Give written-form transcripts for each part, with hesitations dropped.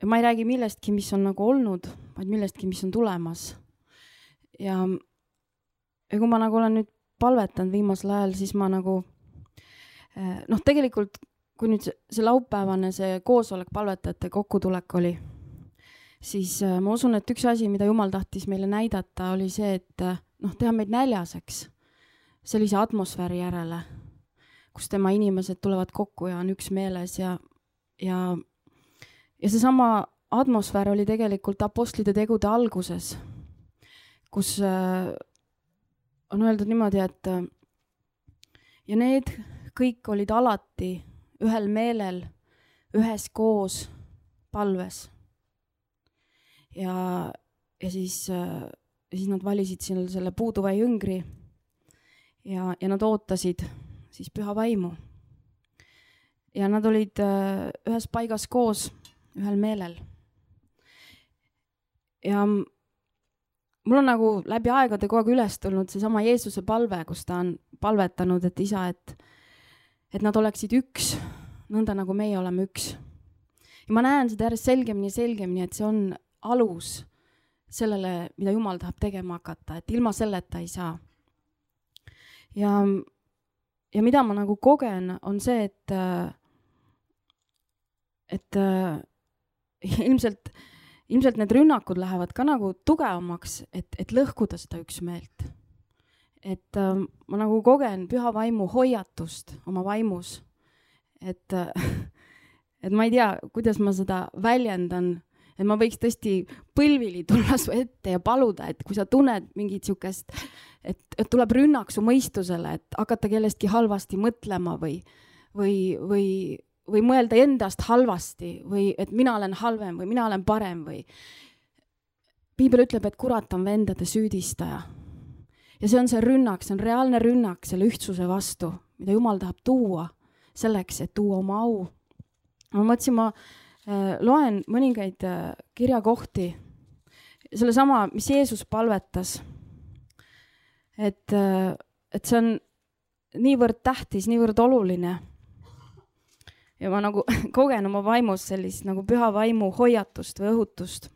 ma ei räägi millestki, mis on nagu olnud, vaid millestki, mis on tulemas. Ja kui ma nagu olen nüüd palvetanud viimasel ajal, siis ma nagu, tegelikult kui nüüd see laupäevane see koosolek palvetajate kokkutulek oli, siis ma usun, et üks asi, mida Jumal tahtis meile näidata, oli see, et teha meid näljaseks sellise atmosfääri järele, kus tema inimesed tulevad kokku ja on üks meeles ja seesama atmosfäär oli tegelikult apostlite tegude alguses, kus on öeldud niimoodi, et ja need kõik olid alati ühel meelel, üheskoos palves. Ja siis nad valisid selle puuduva jüngri ja nad ootasid siis püha vaimu. Ja nad olid ühes paigas koos, ühel meelel. Ja mul on nagu läbi aegade kogu aeg üles tulnud seesama Jeesuse palve, kus ta on palvetanud, et isa, et nad oleksid üks, nõnda nagu meie oleme üks. Ja ma näen seda järjest selgemini, et see on alus sellele, mida Jumal tahab tegema hakata, et ilma selleta ei saa. Ja mida ma nagu kogen, on see, et ilmselt need rünnakud lähevad ka nagu tugevamaks, et lõhkuda seda üksmeelt. Et ma nagu kogen püha vaimu hoiatust oma vaimus. Et ma ei tea, kuidas ma seda väljendan, et ma võiks tõesti põlvili tulla su ette ja paluda, et kui sa tunned mingit siukest, et tuleb rünnak su mõistusele, et hakata kellestki halvasti mõtlema või mõelda endast halvasti või et mina olen halvem või mina olen parem või. Piibel ütleb, et kurat on vendade süüdistaja. Ja see on see rünnak, see on reaalne rünnak selle ühtsuse vastu, mida Jumal tahab tuua selleks, et tuua oma au. Ma mõtlesin, ma loen mõningaid kirjakohti, selle sama, mis Jeesus palvetas, et see on niivõrd tähtis, niivõrd oluline. Ja ma nagu kogen oma vaimus sellist nagu püha vaimu hoiatust või õhutust.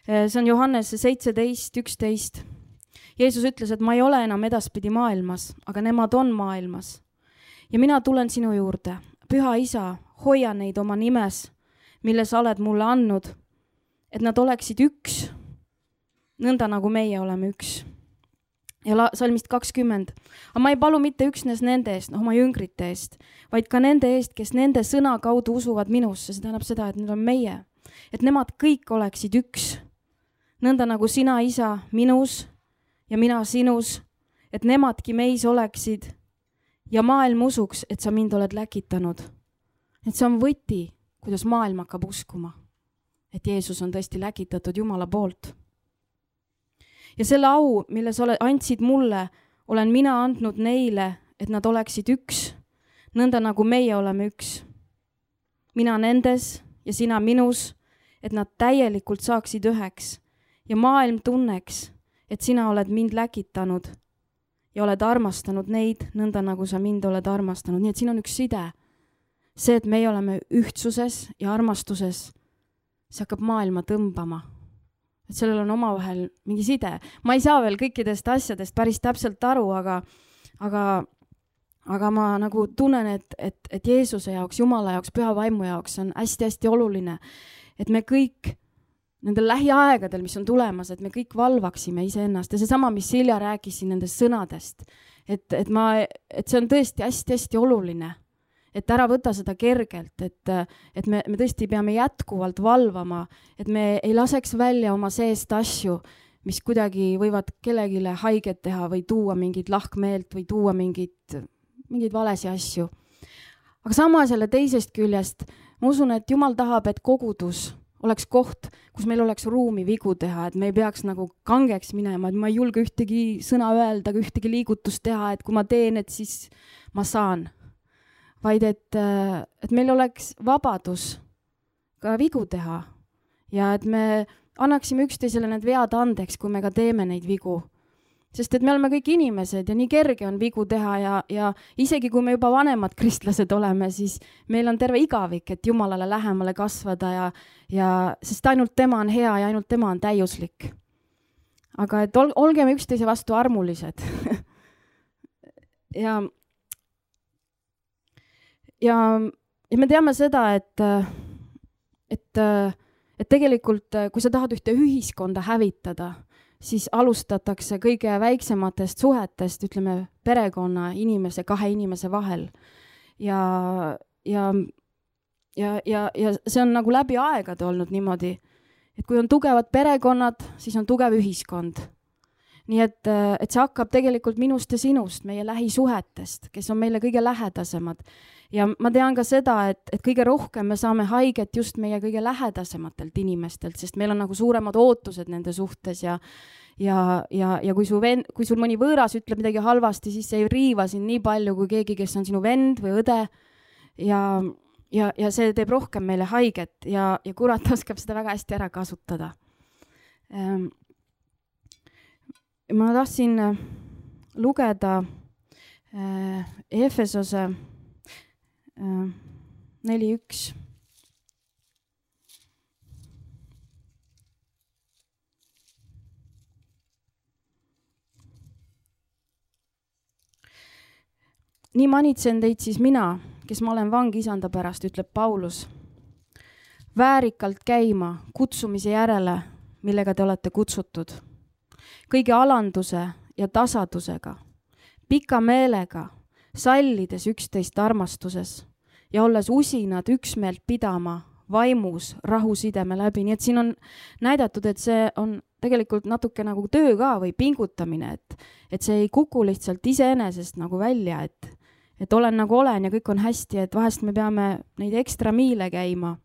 See on Johannese 17:11. Jeesus ütles, et ma ei ole enam edaspidi maailmas, aga nemad on maailmas. Ja mina tulen sinu juurde. Püha isa, hoia neid oma nimes, mille sa oled mulle andnud, et nad oleksid üks, nõnda nagu meie oleme üks. Ja salmist 20. Aga ma ei palu mitte üksnes nende eest, oma jüngrite eest, vaid ka nende eest, kes nende sõna kaudu usuvad minusse. See tähendab seda, et need on meie. Et nemad kõik oleksid üks. Nõnda nagu sina, isa, minus ja mina sinus. Et nemadki meis oleksid ja maailm usuks, et sa mind oled läkitanud. Et see on võti, kuidas maailm hakkab uskuma. Et Jeesus on tõesti läkitatud Jumala poolt. Ja selle au, mille sa andsid mulle, olen mina andnud neile, et nad oleksid üks, nõnda nagu meie oleme üks. Mina nendes ja sina minus, et nad täielikult saaksid üheks ja maailm tunneks, et sina oled mind läkitanud ja oled armastanud neid, nõnda nagu sa mind oled armastanud. Nii et siin on üks side. See, et meie oleme ühtsuses ja armastuses, see hakkab maailma tõmbama. Et sellel on omavahel mingi side. Ma ei saa veel kõikidest asjadest päris täpselt aru, aga ma nagu tunnen, et Jeesuse jaoks, Jumala jaoks, püha vaimu jaoks on hästi-hästi oluline, et me kõik nendel lähiaegadel, mis on tulemas, et me kõik valvaksime iseennast. Ja seesama, mis Silja rääkis siin nendest sõnadest, et see on tõesti hästi-hästi oluline. Et ära võta seda kergelt, et me tõesti peame jätkuvalt valvama, et me ei laseks välja oma seest asju, mis kuidagi võivad kellegile haiget teha või tuua mingit lahkmeelt või tuua mingeid valesi asju. Aga samas jälle teisest küljest, ma usun, et Jumal tahab, et kogudus oleks koht, kus meil oleks ruumi vigu teha, et me ei peaks nagu kangeks minema, et ma ei julge ühtegi sõna öelda, ühtegi liigutust teha, et kui ma teen, et siis ma saan. Vaid et meil oleks vabadus ka vigu teha ja et me annaksime üksteisele need vead andeks, kui me ka teeme neid vigu. sest et me oleme kõik inimesed ja nii kerge on vigu teha ja isegi kui me juba vanemad kristlased oleme, siis meil on terve igavik, et Jumalale lähemale kasvada ja sest ainult tema on hea ja ainult tema on täiuslik. Aga et olgeme üksteise vastu armulised. ja me teame seda, et tegelikult, kui sa tahad ühte ühiskonda hävitada, siis alustatakse kõige väiksematest suhetest, ütleme perekonna inimese, kahe inimese vahel. Ja see on nagu läbi aegade olnud niimoodi, et kui on tugevad perekonnad, siis on tugev ühiskond. Nii et see hakkab tegelikult minust ja sinust, meie lähisuhetest, kes on meile kõige lähedasemad. Ja ma tean ka seda, et kõige rohkem me saame haiget just meie kõige lähedasematelt inimestelt, sest meil on nagu suuremad ootused nende suhtes ja kui sul mõni võõras ütleb midagi halvasti, siis see ei riiva sind nii palju kui keegi, kes on sinu vend või õde ja see teeb rohkem meile haiget ja kurat oskab seda väga hästi ära kasutada. Ma tahtsin lugeda Efesose 4.1. Nii manitsen teid siis mina, kes ma olen vang isanda pärast, ütleb Paulus. Väärikalt käima kutsumise järele, millega te olete kutsutud. Kõige alanduse ja tasadusega, pika meelega, sallides üksteist armastuses ja olles usinad üksmeelt pidama vaimus rahusideme läbi. Nii et siin on näidatud, et see on tegelikult natuke nagu töö ka või pingutamine, et see ei kuku lihtsalt iseenesest nagu välja, et olen nagu olen ja kõik on hästi, et vahest me peame neid ekstra miile käima.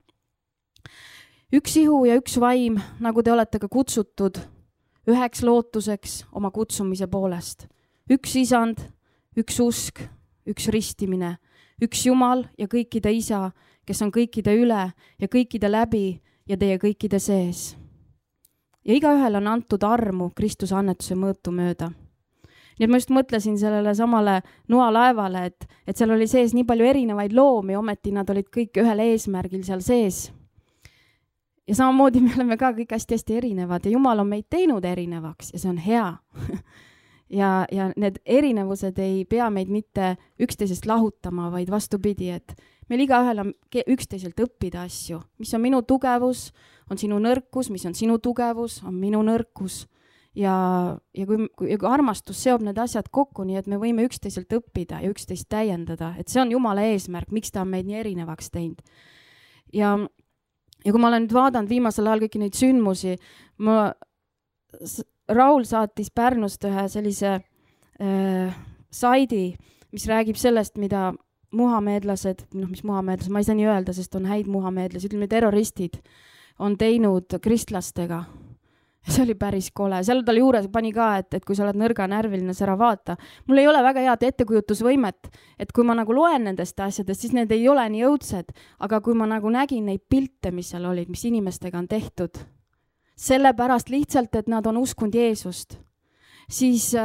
Üks ihu ja üks vaim, nagu te olete ka kutsutud, üheks lootuseks oma kutsumise poolest. Üks isand, üks usk, üks ristimine, üks Jumal ja kõikide isa, kes on kõikide üle ja kõikide läbi ja teie kõikide sees. Ja igaühel on antud armu Kristuse annetuse mõõtu mööda. Nii et ma just mõtlesin sellele samale noalaevale, et seal oli sees nii palju erinevaid loomi, ometi nad olid kõik ühel eesmärgil seal sees. Ja samamoodi me oleme ka kõik hästi erinevad ja Jumal on meid teinud erinevaks ja see on hea. ja need erinevused ei pea meid mitte üksteisest lahutama, vaid vastupidi, et meil igaühel on üksteiselt õppida asju. Mis on minu tugevus, on sinu nõrkus, mis on sinu tugevus, on minu nõrkus. Ja kui armastus seob need asjad kokku, nii et me võime üksteiselt õppida ja üksteist täiendada, et see on Jumala eesmärk, miks ta on meid nii erinevaks teinud. Ja kui ma olen nüüd vaadanud viimasel ajal kõiki neid sündmusi, Raul saatis Pärnust ühe sellise saidi, mis räägib sellest, mida muhameedlased, ma ei saa nii öelda, sest on häid muhameedlasi, ütleme terroristid, on teinud kristlastega. See oli päris kole. Seal tal juures pani ka, et kui sa oled nõrga närviline, sa ära vaata. Mul ei ole väga head ettekujutusvõimet, et kui ma nagu loen nendest asjadest, siis need ei ole nii õudsed, aga kui ma nagu nägin neid pilte, mis seal olid, mis inimestega on tehtud, sellepärast lihtsalt, et nad on uskunud Jeesust, siis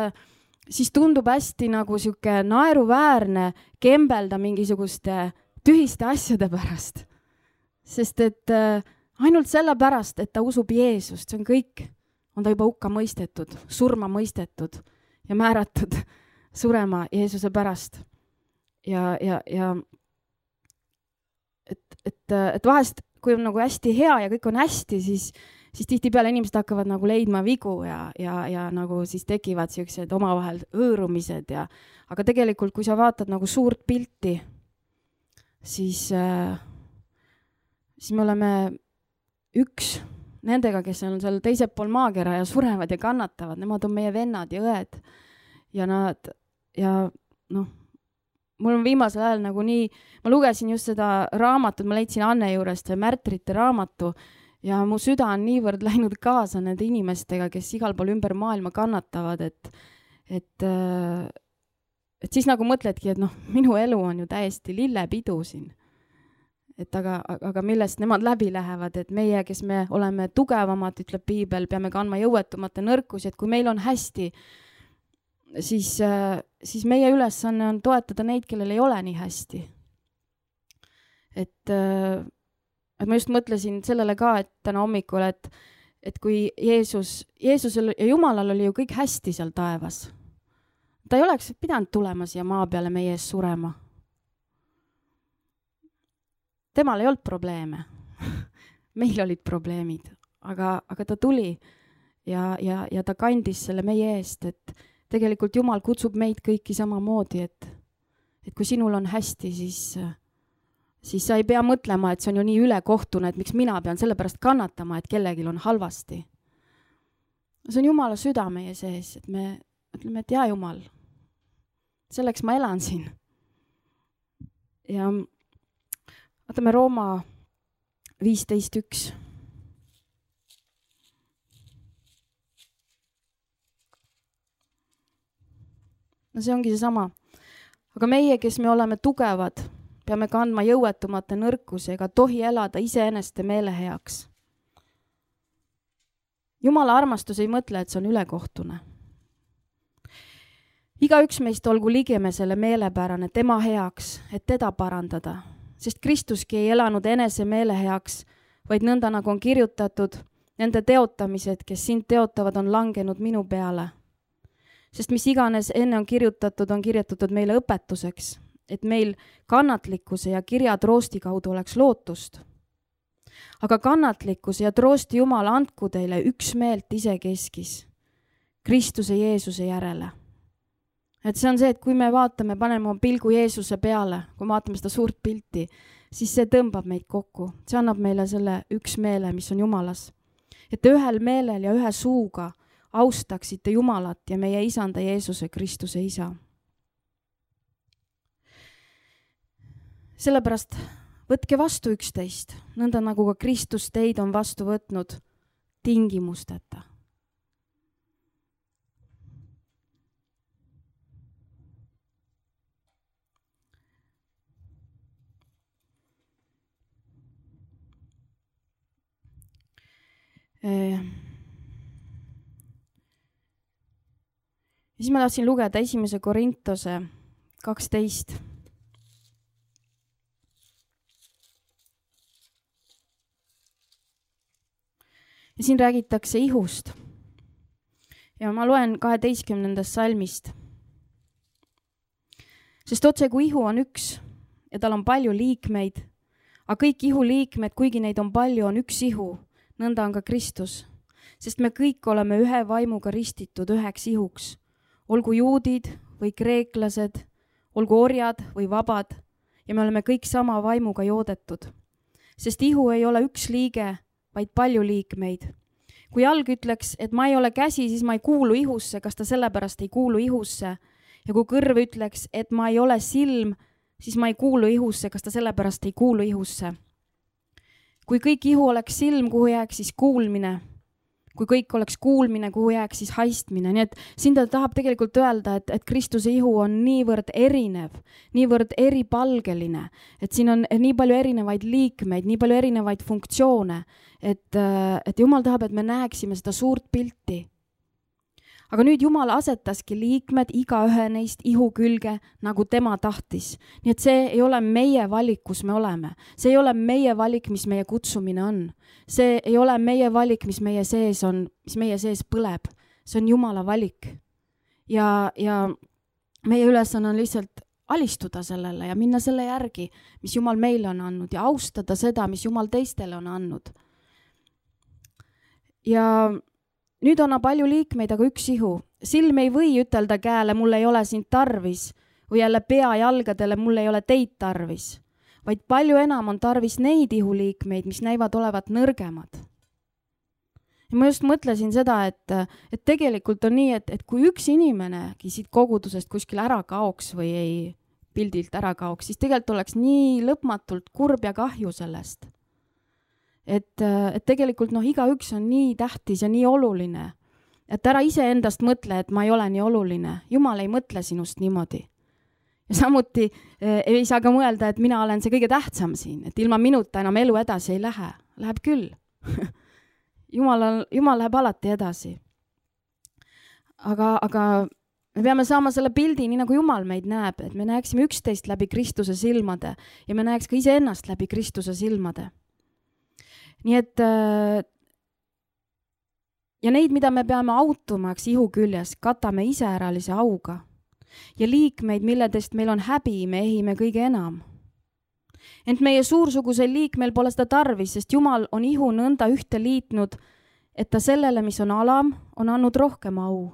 tundub hästi nagu siuke naeruväärne kembelda mingisuguste tühiste asjade pärast. Sest et ainult sellepärast, et ta usub Jeesust, see on kõik, on ta juba hukka mõistetud, surma mõistetud ja määratud surema Jeesuse pärast. Et vahest, kui on nagu hästi hea ja kõik on hästi, siis tihtipeale inimesed hakkavad nagu leidma vigu ja nagu siis tekivad siuksed omavahel hõõrumised aga tegelikult, kui sa vaatad nagu suurt pilti, siis me oleme üks nendega, kes on seal teisel pool maakera ja surevad ja kannatavad, nemad on meie vennad ja õed ja mul on viimasel ajal nagu nii, ma lugesin just seda raamatut, ma leidsin Anne juurest Märtrite raamatu ja mu süda on niivõrd läinud kaasa nende inimestega, kes igal pool ümber maailma kannatavad, et siis nagu mõtledki, et minu elu on ju täiesti lillepidu siin. Et aga millest nemad läbi lähevad, et meie, kes me oleme tugevamad, ütleb Piibel, peame kandma jõuetumate nõrkusi, et kui meil on hästi, siis meie ülesanne on toetada neid, kellel ei ole nii hästi. Et ma just mõtlesin sellele ka, et täna hommikul, et kui Jeesusel ja Jumalal oli ju kõik hästi seal taevas. Ta ei oleks pidanud tulema siia maa peale meie ees surema. Temal ei olnud probleeme. Meil olid probleemid, aga ta tuli ja ta kandis selle meie eest, et tegelikult Jumal kutsub meid kõiki samamoodi, et kui sinul on hästi, siis sa ei pea mõtlema, et see on ju nii ülekohtune, et miks mina pean selle pärast kannatama, et kellelgi on halvasti. See on Jumala süda meie sees, et me ütleme, et jaa Jumal, selleks ma elan siin. Ja vaatame Rooma 15.1. No see ongi see sama. Aga meie, kes me oleme tugevad, peame kandma jõuetumate nõrkuse ega tohi elada iseeneste meele heaks. Jumala armastus ei mõtle, et see on ülekohtune. Igaüks meist olgu ligemesele meelepärane tema heaks, et teda parandada, sest Kristuski ei elanud enese meele heaks, vaid nõnda nagu on kirjutatud, nende teotamised, kes sind teotavad, on langenud minu peale. Sest mis iganes enne on kirjutatud meile õpetuseks, et meil kannatlikkuse ja kirja troosti kaudu oleks lootust. Aga kannatlikkuse ja troosti Jumal andku teile üksmeelt isekeskis, Kristuse Jeesuse järele. Et see on see, et kui me vaatame, paneme pilgu Jeesuse peale, kui vaatame seda suurt pilti, siis see tõmbab meid kokku. See annab meile selle üksmeele, mis on Jumalas. Et te ühel meelel ja ühe suuga austaksite Jumalat ja meie isanda Jeesuse Kristuse isa. Sellepärast võtke vastu üksteist, nõnda nagu ka Kristus teid on vastu võtnud tingimusteta. Ja siis ma tahtsin lugeda 1. Korintose 12. Ja siin räägitakse ihust. Ja ma loen 12. salmist. Sest otse kui ihu on üks ja tal on palju liikmeid, aga kõik ihu liikmed, kuigi neid on palju, on üks ihu, nõnda on ka Kristus. Sest me kõik oleme ühe vaimuga ristitud üheks ihuks. Olgu juudid või kreeklased, olgu orjad või vabad, ja me oleme kõik sama vaimuga joodetud. Sest ihu ei ole üks liige, vaid palju liikmeid. Kui jalg ütleks, et ma ei ole käsi, siis ma ei kuulu ihusse, kas ta sellepärast ei kuulu ihusse? Ja kui kõrv ütleks, et ma ei ole silm, siis ma ei kuulu ihusse, kas ta sellepärast ei kuulu ihusse? Kui kõik ihu oleks silm, kuhu jääks siis kuulmine? Kui kõik oleks kuulmine, kuhu jääks siis haistmine. Nii et siin ta tahab tegelikult öelda, et Kristuse ihu on niivõrd erinev, niivõrd eripalgeline, et siin on nii palju erinevaid liikmeid, nii palju erinevaid funktsioone, et Jumal tahab, et me näeksime seda suurt pilti. Aga nüüd Jumal asetaski liikmed igaühe neist ihu külge, nagu tema tahtis. Nii et see ei ole meie valik, kus me oleme. See ei ole meie valik, mis meie kutsumine on. See ei ole meie valik, mis meie sees on, mis meie sees põleb. See on Jumala valik. Ja meie ülesanne on lihtsalt alistuda sellele ja minna selle järgi, mis Jumal meile on andnud ja austada seda, mis Jumal teistele on andnud. Ja nüüd on palju liikmeid, aga üks ihu. Silm ei või ütelda käele, mul ei ole sind tarvis, või jälle pea jalgadele, mul ei ole teid tarvis, vaid palju enam on tarvis neid ihuliikmeid, mis näivad olevat nõrgemad. Ja ma just mõtlesin seda, et tegelikult on nii, et kui üks inimenegi siit kogudusest kuskil ära kaoks või ei pildilt ära kaoks, siis tegelikult oleks nii lõpmatult kurb ja kahju sellest. Et tegelikult igaüks on nii tähtis ja nii oluline, et ära ise endast mõtle, et ma ei ole nii oluline. Jumal ei mõtle sinust niimoodi. Ja samuti ei saa ka mõelda, et mina olen see kõige tähtsam siin, et ilma minuta enam elu edasi ei lähe. Läheb küll. Jumal läheb alati edasi. Aga Me peame saama selle pildi, nii nagu Jumal meid näeb, et me näeksime üksteist läbi Kristuse silmade ja me näeks ka iseennast läbi Kristuse silmade. Nii et ja neid, mida me peame autumaks ihu küljes, katame iseäralise auga. Ja liikmeid, milledest meil on häbi, me ehime kõige enam. Ent meie suursugusel liikmel pole seda tarvis, sest Jumal on ihu nõnda ühte liitnud, et ta sellele, mis on alam, on andnud rohkem au.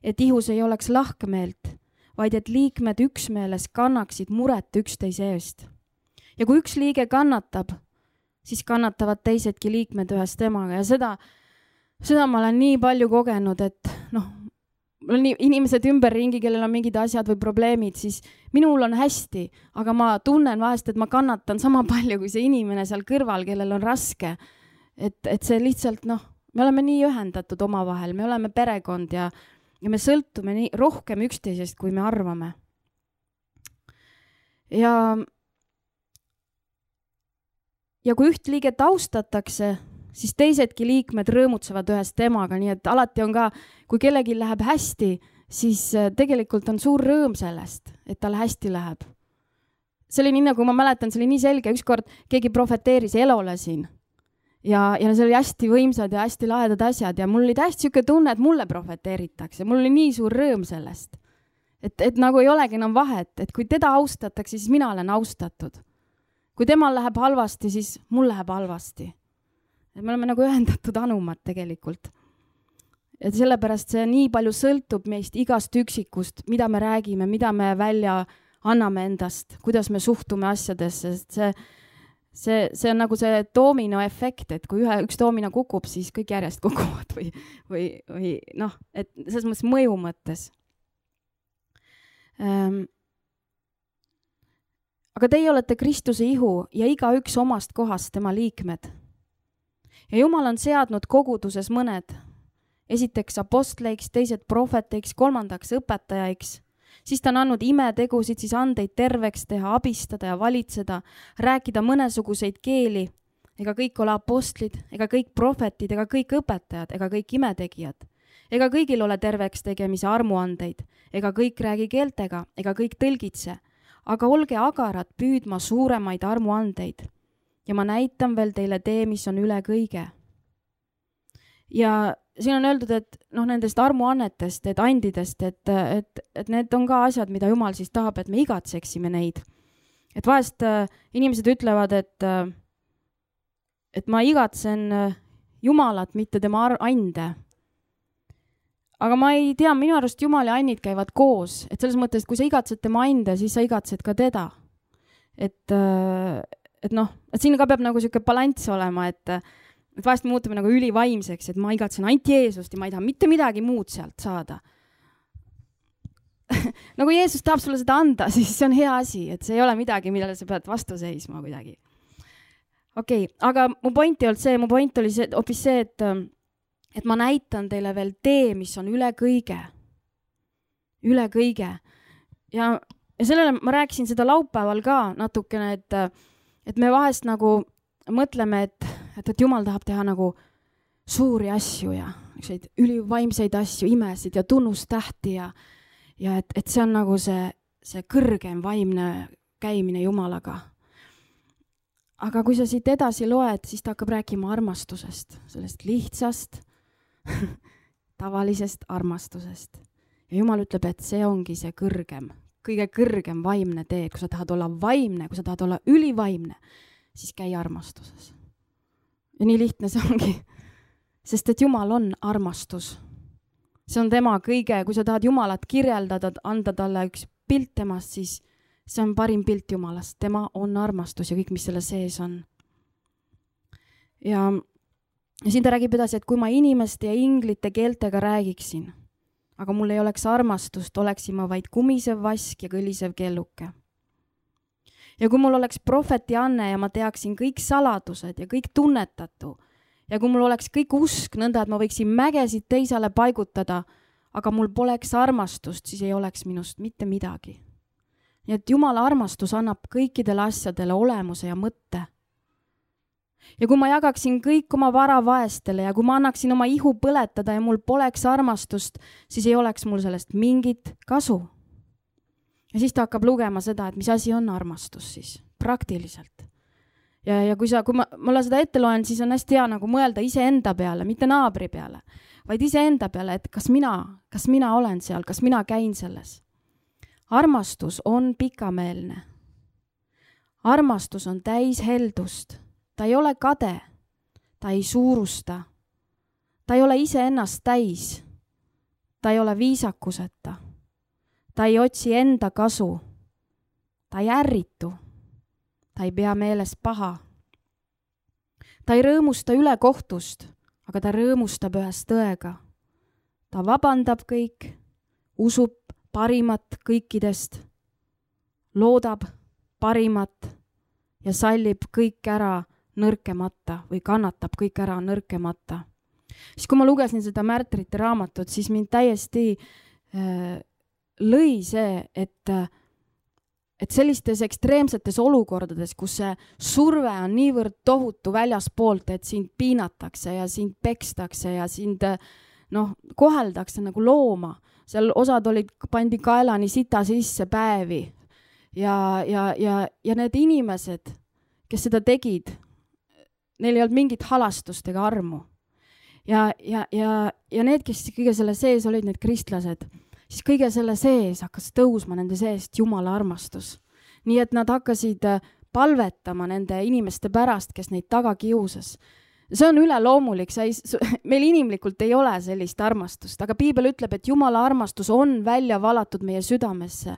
Et ihus ei oleks lahkemeelt, vaid et liikmed üksmeeles kannaksid muret üksteise eest. Ja kui üks liige kannatab, siis kannatavad teisedki liikmed ühes temaga ja seda ma olen nii palju kogenud, et mul on inimesed ümberringi, kellel on mingid asjad või probleemid, siis minul on hästi, aga ma tunnen vahest, et ma kannatan sama palju kui see inimene seal kõrval, kellel on raske. Et see lihtsalt, me oleme nii ühendatud omavahel, me oleme perekond ja me sõltume nii rohkem üksteisest, kui me arvame. Ja kui üht liiget austatakse, siis teisedki liikmed rõõmutsevad ühes temaga, nii et alati on ka, kui kellegi läheb hästi, siis tegelikult on suur rõõm sellest, et tal hästi läheb. See oli nii, nagu ma mäletan, see oli nii selge, ükskord keegi profeteeris Elole siin ja see oli hästi võimsad ja hästi lahedad asjad ja mul oli täiesti siuke tunne, et mulle profeteeritakse, mul oli nii suur rõõm sellest, et nagu ei olegi enam vahet, et kui teda austatakse, siis mina olen austatud. Kui temal läheb halvasti, siis mul läheb halvasti. Et me oleme nagu ühendatud anumad tegelikult. Et sellepärast see nii palju sõltub meist igast üksikust, mida me räägime, mida me välja anname endast, kuidas me suhtume asjadesse, sest see on nagu see doomino efekt, et kui üks doomino kukub, siis kõik järjest kukuvad või et selles mõttes mõju mõttes. Aga teie olete Kristuse ihu ja igaüks omast kohast tema liikmed. Ja Jumal on seadnud koguduses mõned, esiteks apostleiks, teised prohveteiks, kolmandaks õpetajaiks, siis ta on andnud imetegusid, siis andeid terveks teha, abistada ja valitseda, rääkida mõnesuguseid keeli, ega kõik ole apostlid, ega kõik prohvetid, ega kõik õpetajad, ega kõik imetegijad, ega kõigil ole terveks tegemise armuandeid, ega kõik räägi keeltega, ega kõik tõlgitse, aga olge agarad püüdma suuremaid armuandeid. Ja ma näitan veel teile tee, mis on üle kõige. Ja siin on öeldud, et nendest armuannetest, et andidest, et need on ka asjad, mida Jumal siis tahab, et me igatseksime neid. Et vahest inimesed ütlevad, et ma igatsen Jumalat, mitte tema ande. Aga ma ei tea, minu arust Jumal ja annid käivad koos. Et selles mõttes, et kui sa igatsed tema ande, siis sa igatsed ka teda. Et siin ka peab nagu siuke balanss olema, et vahest me muutume nagu ülivaimseks, et ma igatsen ainult Jeesust ja ma ei taha mitte midagi muud sealt saada. Nagu Jeesus tahab sulle seda anda, siis see on hea asi, et see ei ole midagi, millele sa pead vastu seisma kuidagi. Okei, aga mu point oli hoopis see, et ma näitan teile veel tee, mis on üle kõige. Üle kõige. Ja sellele ma rääkisin seda laupäeval ka natukene, et me vahest nagu mõtleme, et Jumal tahab teha nagu suuri asju ja ülivaimseid asju, imesid ja tunnustähti ja et see on nagu see kõrgem vaimne käimine Jumalaga. Aga kui sa siit edasi loed, siis ta hakkab rääkima armastusest, sellest lihtsast, tavalisest armastusest. Ja Jumal ütleb, et see ongi see kõige kõrgem vaimne tee. Kui sa tahad olla vaimne, kui sa tahad olla ülivaimne, siis käi armastuses. Ja nii lihtne see ongi. Sest et Jumal on armastus. See on tema kõige, kui sa tahad Jumalat kirjeldada, anda talle üks pilt temast, siis see on parim pilt Jumalast. Tema on armastus ja kõik, mis selle sees on. Ja siin ta räägib edasi, et kui ma inimeste ja inglite keeltega räägiksin, aga mul ei oleks armastust, oleksin ma vaid kumisev vask ja kõlisev kelluke. Ja kui mul oleks prohveti anne ja ma teaksin kõik saladused ja kõik tunnetatu, ja kui mul oleks kõik usk nõnda, et ma võiksin mägesid teisele paigutada, aga mul poleks armastust, siis ei oleks minust mitte midagi. Nii et Jumala armastus annab kõikidele asjadele olemuse ja mõtte. Ja kui ma jagaksin kõik oma vara vaestele ja kui ma annaksin oma ihu põletada ja mul poleks armastust, siis ei oleks mul sellest mingit kasu. Ja siis ta hakkab lugema seda, et mis asi on armastus siis, praktiliselt. Ja kui ma seda ette loen, siis on hästi hea nagu mõelda iseenda peale, mitte naabri peale, vaid iseenda peale, et kas mina olen seal, kas mina käin selles. Armastus on pikameelne. Armastus on täis heldust. Ta ei ole kade, ta ei suurusta, ta ei ole iseennast täis, ta ei ole viisakuseta, ta ei otsi enda kasu, ta ei ärritu, ta ei pea meeles paha. Ta ei rõõmusta ülekohtust, aga ta rõõmustab ühes tõega. Ta vabandab kõik, usub parimat kõikidest, loodab parimat ja sallib kõik ära nõrkemata või kannatab kõik ära nõrkemata. Siis kui ma lugesin seda märtrite raamatut, siis mind täiesti lõi see, et sellistes ekstreemsetes olukordades, kus see surve on niivõrd tohutu väljaspoolt, et sind piinatakse ja sind pekstakse ja sind koheldakse nagu looma. Seal osad pandi kaelani sita sisse päevi ja need inimesed, kes seda tegid, neil ei olnud mingit halastust ega armu. Ja need, kes kõige selle sees olid, need kristlased, siis kõige selle sees hakkas tõusma nende seest Jumala armastus. Nii et nad hakkasid palvetama nende inimeste pärast, kes neid taga kiusas. See on üleloomulik, meil inimlikult ei ole sellist armastust, aga Piibel ütleb, et Jumala armastus on välja valatud meie südamesse.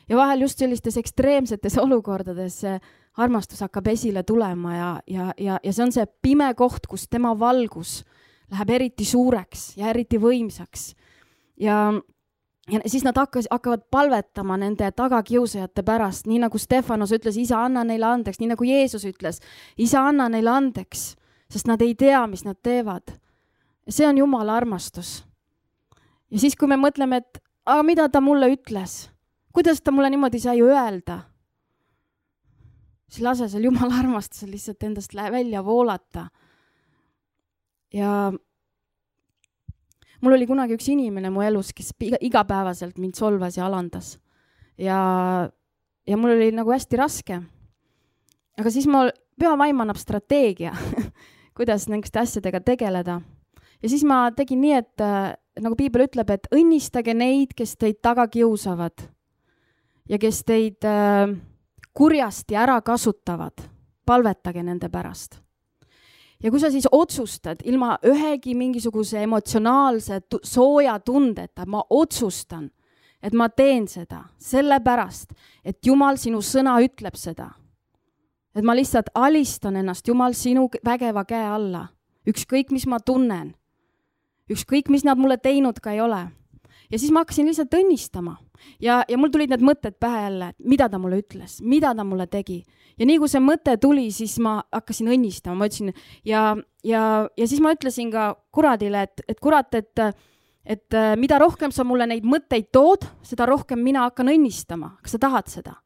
Ja vahel just sellistes ekstreemsetes olukordades armastus hakkab esile tulema ja see on see pime koht, kus tema valgus läheb eriti suureks ja eriti võimsaks. Ja siis nad hakkavad palvetama nende tagakiusajate pärast, nii nagu Stefanos ütles, isa, anna neile andeks, nii nagu Jeesus ütles, isa, anna neile andeks, sest nad ei tea, mis nad teevad. Ja see on Jumala armastus. Ja siis, kui me mõtleme, et aga mida ta mulle ütles, kuidas ta mulle niimoodi sai öelda, siis lase seal Jumala armastusel lihtsalt endast välja voolata. Ja mul oli kunagi üks inimene mu elus, kes igapäevaselt mind solvas ja alandas. Ja mul oli nagu hästi raske. Aga siis pühavaim annab strateegia, kuidas nendest asjadega tegeleda. Ja siis ma tegin nii, et nagu Piibel ütleb, et õnnistage neid, kes teid taga kiusavad ja kes teid kurjasti ära kasutavad, palvetage nende pärast. Ja kui sa siis otsustad ilma ühegi mingisuguse emotsionaalse sooja tundeta, ma otsustan, et ma teen seda sellepärast, et Jumal sinu sõna ütleb seda. Et ma lihtsalt alistan ennast Jumal sinu vägeva käe alla. Ükskõik, mis ma tunnen. Ükskõik, mis nad mulle teinud ka ei ole. Ja siis ma hakkasin lihtsalt õnnistama. Ja mul tulid need mõtted pähe jälle, mida ta mulle ütles, mida ta mulle tegi. Ja nii kui see mõte tuli, siis ma hakkasin õnnistama. Ma ütlesin, ja siis ma ütlesin ka kuradile, et kurat, et mida rohkem sa mulle neid mõtteid tood, seda rohkem mina hakkan õnnistama. Kas sa tahad seda?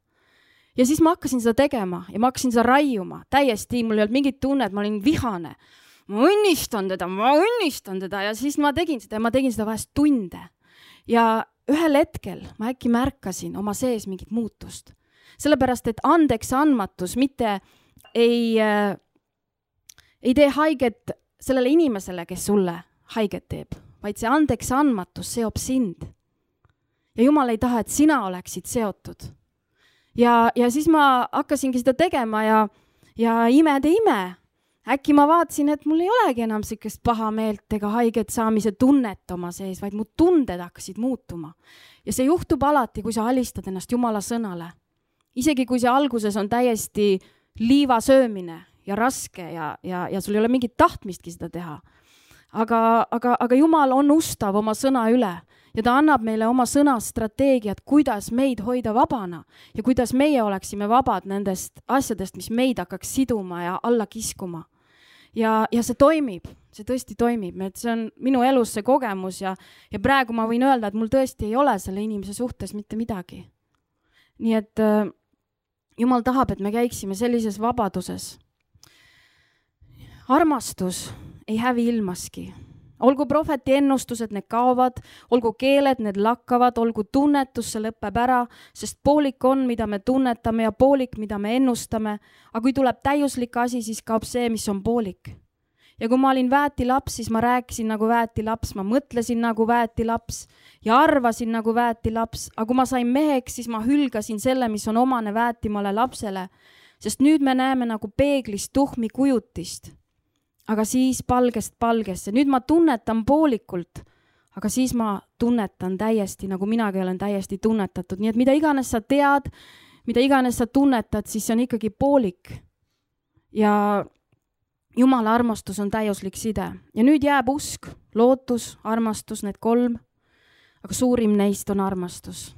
Ja siis ma hakkasin seda tegema ja ma hakkasin seda raiuma. Täiesti, mul ei olnud mingit tunne, et ma olin vihane. Ma õnnistan teda ja siis ma tegin seda ja ma tegin seda vahest tunde. Ja ühel hetkel ma äkki märkasin oma sees mingit muutust. Sellepärast, et andeks andmatus mitte ei tee haiget sellele inimesele, kes sulle haiget teeb, vaid see andeks andmatus seob sind. Ja Jumal ei taha, et sina oleksid seotud. Ja siis ma hakkasingi seda tegema ja imede ime. Äkki ma vaatasin, et mul ei olegi enam sellist paha meelt ega haiget saamise tunnet oma sees, vaid mu tunded hakkasid muutuma. Ja see juhtub alati, kui sa alistad ennast Jumala sõnale. Isegi kui see alguses on täiesti liiva söömine ja raske ja sul ei ole mingit tahtmistki seda teha. Aga Jumal on ustav oma sõna üle ja ta annab meile oma sõna strateegiat, kuidas meid hoida vabana ja kuidas meie oleksime vabad nendest asjadest, mis meid hakkaks siduma ja alla kiskuma. Ja see toimib, see tõesti toimib, et see on minu elus see kogemus ja praegu ma võin öelda, et mul tõesti ei ole selle inimese suhtes mitte midagi. Nii et Jumal tahab, et me käiksime sellises vabaduses. armastus ei hävi ilmaski. Olgu prohveti ennustused, need kaovad, olgu keeled, need lakkavad, olgu tunnetus, see lõpeb ära, sest poolik on, mida me tunnetame ja poolik, mida me ennustame. Aga kui tuleb täiuslik asi, siis kaob see, mis on poolik. Ja kui ma olin väetilaps, siis ma rääkisin nagu väetilaps, ma mõtlesin nagu väetilaps ja arvasin nagu väetilaps. Aga kui ma sain meheks, siis ma hülgasin selle, mis on omane väetimale lapsele. Sest nüüd me näeme nagu peeglist tuhmi kujutist. Aga siis palgest palgesse. Nüüd ma tunnetan poolikult, aga siis ma tunnetan täiesti, nagu minagi olen täiesti tunnetatud. Nii et mida iganes sa tead, mida iganes sa tunnetad, siis see on ikkagi poolik. Ja Jumala armastus on täiuslik side. Ja nüüd jääb usk, lootus, armastus, need 3. Aga suurim neist on armastus.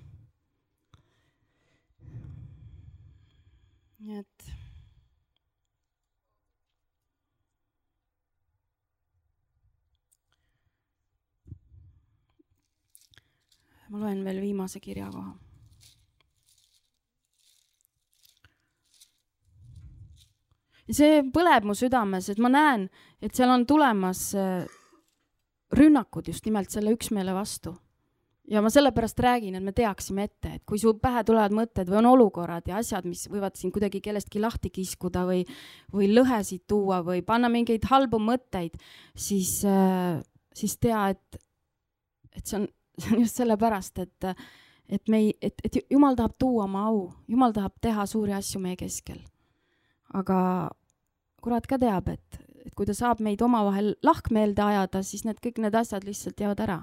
Nii et ma loen veel viimase kirja koha. Ja see põleb mu südames, et ma näen, et seal on tulemas rünnakud just nimelt selle üksmeele vastu. Ja ma sellepärast räägin, et me teaksime ette, et kui su pähe tulevad mõtted või on olukorrad ja asjad, mis võivad siin kuidagi kellestki lahti kiskuda või lõhesid tuua või panna mingeid halbu mõtteid, siis tea, et see on just sellepärast, et Jumal tahab tuua oma au. Jumal tahab teha suuri asju meie keskel. Aga kurat ka teab, et kui ta saab meid omavahel lahkmeelde ajada, siis kõik need asjad lihtsalt jäävad ära.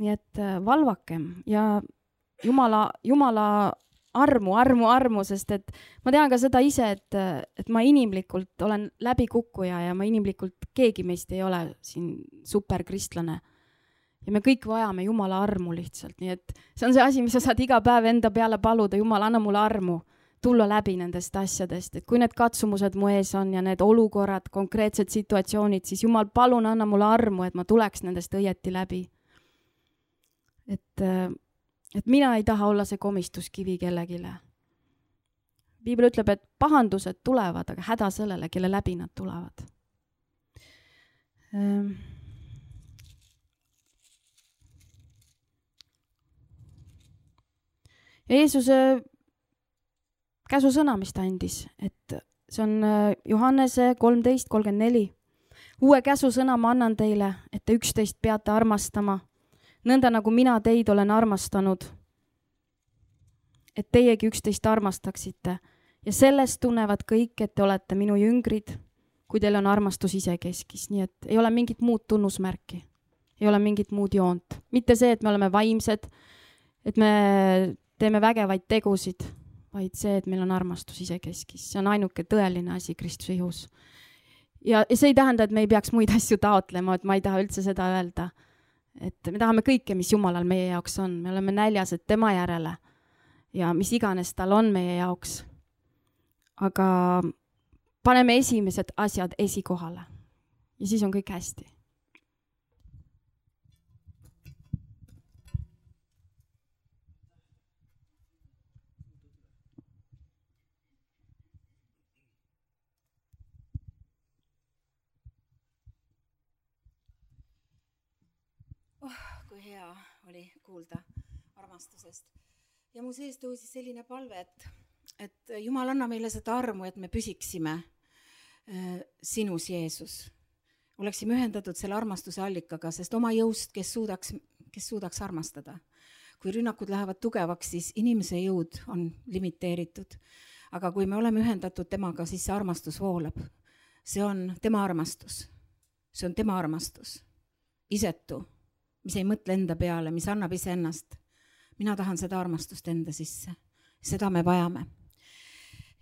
Nii et valvakem ja Jumala armu, sest et ma tean ka seda ise, et ma inimlikult olen läbikukkuja ja ma inimlikult keegi meist ei ole siin superkristlane. Ja me kõik vajame Jumala armu lihtsalt, nii et see on see asi, mis sa saad iga päev enda peale paluda. Jumal, anna mulle armu, tulla läbi nendest asjadest, et kui need katsumused mu ees on ja need olukorrad, konkreetsed situatsioonid, siis Jumal, palun anna mulle armu, et ma tuleks nendest õieti läbi. Et mina ei taha olla see komistuskivi kellegile. Piibel ütleb, et pahandused tulevad, aga häda sellele, kelle läbi nad tulevad. Jeesuse käsusõna, mis ta andis, et see on Johannese 13:34. Uue käsusõna ma annan teile, et te üksteist peate armastama, nõnda nagu mina teid olen armastanud, et teiegi üksteist armastaksite. Ja sellest tunnevad kõik, et te olete minu jüngrid, kui teil on armastus ise keskis. Nii et ei ole mingit muud tunnusmärki, ei ole mingit muud joont. Mitte see, et me oleme vaimsed, et me teeme vägevaid tegusid, vaid see, et meil on armastus ise keskis. See on ainuke tõeline asi Kristuse ihus. Ja see ei tähenda, et me ei peaks muid asju taotlema, et ma ei taha üldse seda öelda. Et me tahame kõike, mis Jumalal meie jaoks on. Me oleme näljased tema järele ja mis iganes tal on meie jaoks. Aga paneme esimesed asjad esikohale ja siis on kõik hästi. Kui hea oli kuulda armastusest. Ja mu sees tõusis selline palve, et Jumal anna meile seda armu, et me püsiksime sinus, Jeesus. Oleksime ühendatud selle armastuse allikaga, sest oma jõust, kes suudaks armastada. Kui rünnakud lähevad tugevaks, siis inimese jõud on limiteeritud. Aga kui me oleme ühendatud temaga, siis see armastus voolab. See on tema armastus. See on tema armastus. Isetu, mis ei mõtle enda peale, mis annab ise ennast. Mina tahan seda armastust enda sisse. Seda me vajame.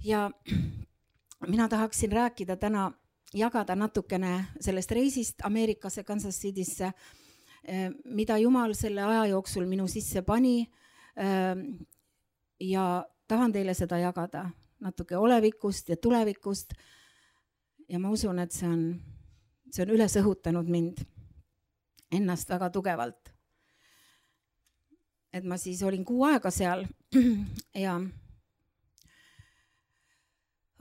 Ja mina tahaksin rääkida täna, jagada natukene sellest reisist Ameerikasse, Kansas Citysse, mida Jumal selle aja jooksul minu sisse pani ja tahan teile seda jagada natuke olevikust ja tulevikust ja ma usun, et see on üles õhutanud mind ennast väga tugevalt. Et ma siis olin 6 aega seal ja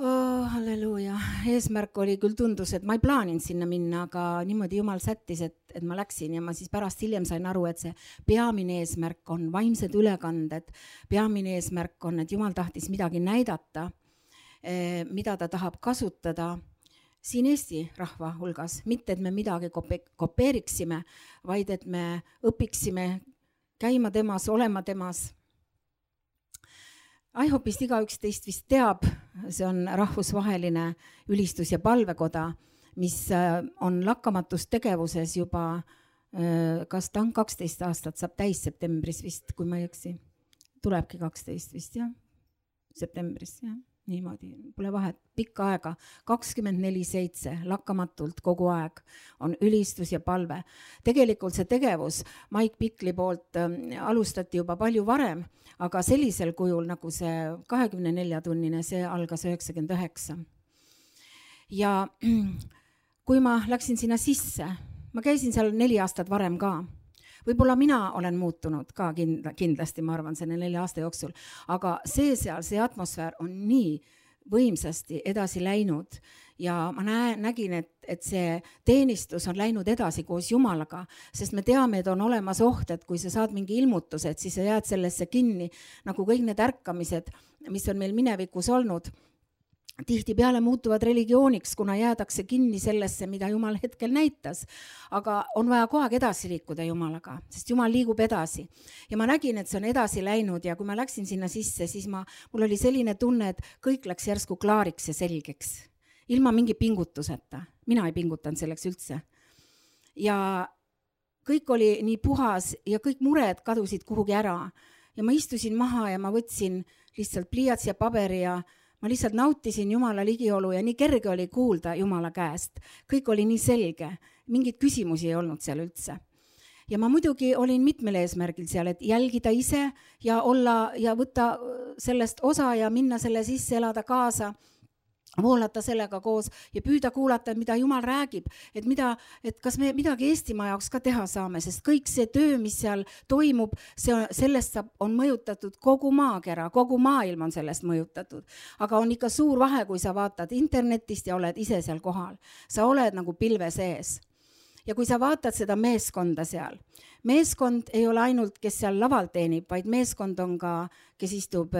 Halleluuja, eesmärk oli küll tundus, et ma ei plaaninud sinna minna, aga niimoodi Jumal sättis, et ma läksin ja ma siis pärast hiljem sain aru, et see peamine eesmärk on vaimsed ülekanded, peamine eesmärk on, et Jumal tahtis midagi näidata, mida ta tahab kasutada siin Eesti rahva hulgas, mitte et me midagi kopeeriksime, vaid et me õpiksime käima temas, olema temas. IHOP-ist igaüks teist vist teab, see on rahvusvaheline ülistus- ja palvekoda, mis on lakkamatus tegevuses juba, kas ta on 12 aastat, saab täis septembris vist, kui ma ei eksi. Tulebki 12 vist, jah, septembris, jah, niimoodi, pole vahet, pikka aega, 24/7, lakkamatult kogu aeg on ülistus ja palve. Tegelikult see tegevus Mike Pickli poolt alustati juba palju varem, aga sellisel kujul nagu see 24-tunnine, see algas 99. Ja kui ma läksin sinna sisse, ma käisin seal 4 aastat varem ka. Võib-olla mina olen muutunud ka kindlasti, ma arvan, selle 4 aasta jooksul, aga see atmosfäär on nii võimsasti edasi läinud ja ma nägin, et see teenistus on läinud edasi koos Jumalaga, sest me teame, et on olemas oht, et kui sa saad mingi ilmutused, siis sa jääd sellesse kinni, nagu kõik need ärkamised, mis on meil minevikus olnud, tihtipeale muutuvad religiooniks, kuna jäädakse kinni sellesse, mida Jumal hetkel näitas. Aga on vaja kogu aeg edasi liikuda Jumalaga, sest Jumal liigub edasi. Ja ma nägin, et see on edasi läinud ja kui ma läksin sinna sisse, siis mul oli selline tunne, et kõik läks järsku klaariks ja selgeks. Ilma mingi pingutuseta. Mina ei pingutanud selleks üldse. Ja kõik oli nii puhas ja kõik mured kadusid kuhugi ära. Ja ma istusin maha ja ma võtsin lihtsalt pliiats ja paberi ja ma lihtsalt nautisin Jumala ligiolu ja nii kerge oli kuulda Jumala käest. Kõik oli nii selge, mingid küsimusi ei olnud seal üldse. Ja ma muidugi olin mitmel eesmärgil seal, et jälgida ise ja olla ja võtta sellest osa ja minna selle sisse, elada kaasa, voolata sellega koos ja püüda kuulata, mida Jumal räägib, et kas me midagi Eestimaa jaoks ka teha saame, sest kõik see töö, mis seal toimub, sellest on mõjutatud kogu maakera, kogu maailm on sellest mõjutatud. Aga on ikka suur vahe, kui sa vaatad internetist ja oled ise seal kohal. Sa oled nagu pilve sees. Ja kui sa vaatad seda meeskonda seal, meeskond ei ole ainult, kes seal laval teenib, vaid meeskond on ka, kes istub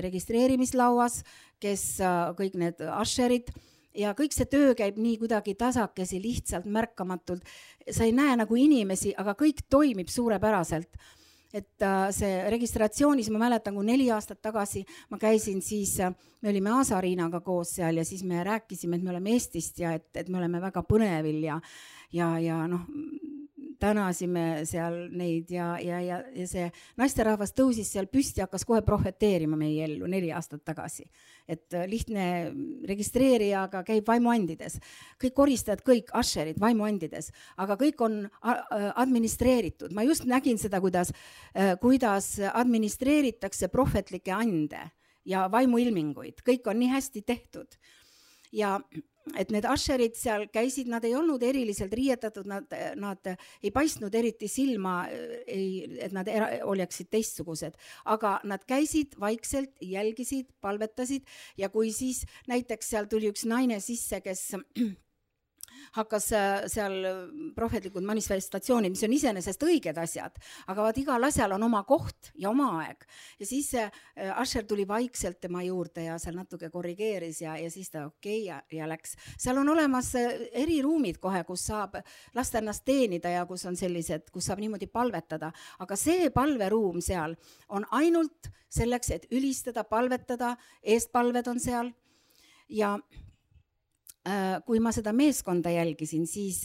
registreerimislauas, kes kõik need asherid ja kõik see töö käib nii kuidagi tasakesi, lihtsalt märkamatult. Sa ei näe nagu inimesi, aga kõik toimib suurepäraselt. Et see registratsioonis, ma mäletan, kui 4 aastat tagasi ma käisin, siis me olime Aasariinaga koos seal ja siis me rääkisime, et me oleme Eestist ja et me oleme väga põnevil ja noh, tänasime seal neid ja see naisterahvas tõusis seal püsti ja hakkas kohe prohveteerima meie ellu 4 aastat tagasi. Et lihtne registreerija, aga käib vaimuandides. Kõik koristajad, kõik asherid vaimuandides, aga kõik on administreeritud. Ma just nägin seda, kuidas administreeritakse prohvetlikke ande ja vaimuilminguid. Kõik on nii hästi tehtud. Ja et need asherid seal käisid, nad ei olnud eriliselt riietatud, nad ei paistnud eriti silma, et nad oleksid teistsugused, aga nad käisid vaikselt, jälgisid, palvetasid ja kui siis näiteks seal tuli üks naine sisse, kes hakkas seal prohvetlikud manifestatsioonid, mis on iseenesest õiged asjad, aga vaat igal asjal on oma koht ja oma aeg. Ja siis Asher tuli vaikselt tema juurde ja seal natuke korrigeeris ja siis ta ja läks. Seal on olemas eriruumid kohe, kus saab lasta ennast teenida ja kus on sellised, kus saab niimoodi palvetada. Aga see palveruum seal on ainult selleks, et ülistada, palvetada, eestpalved on seal ja kui ma seda meeskonda jälgisin, siis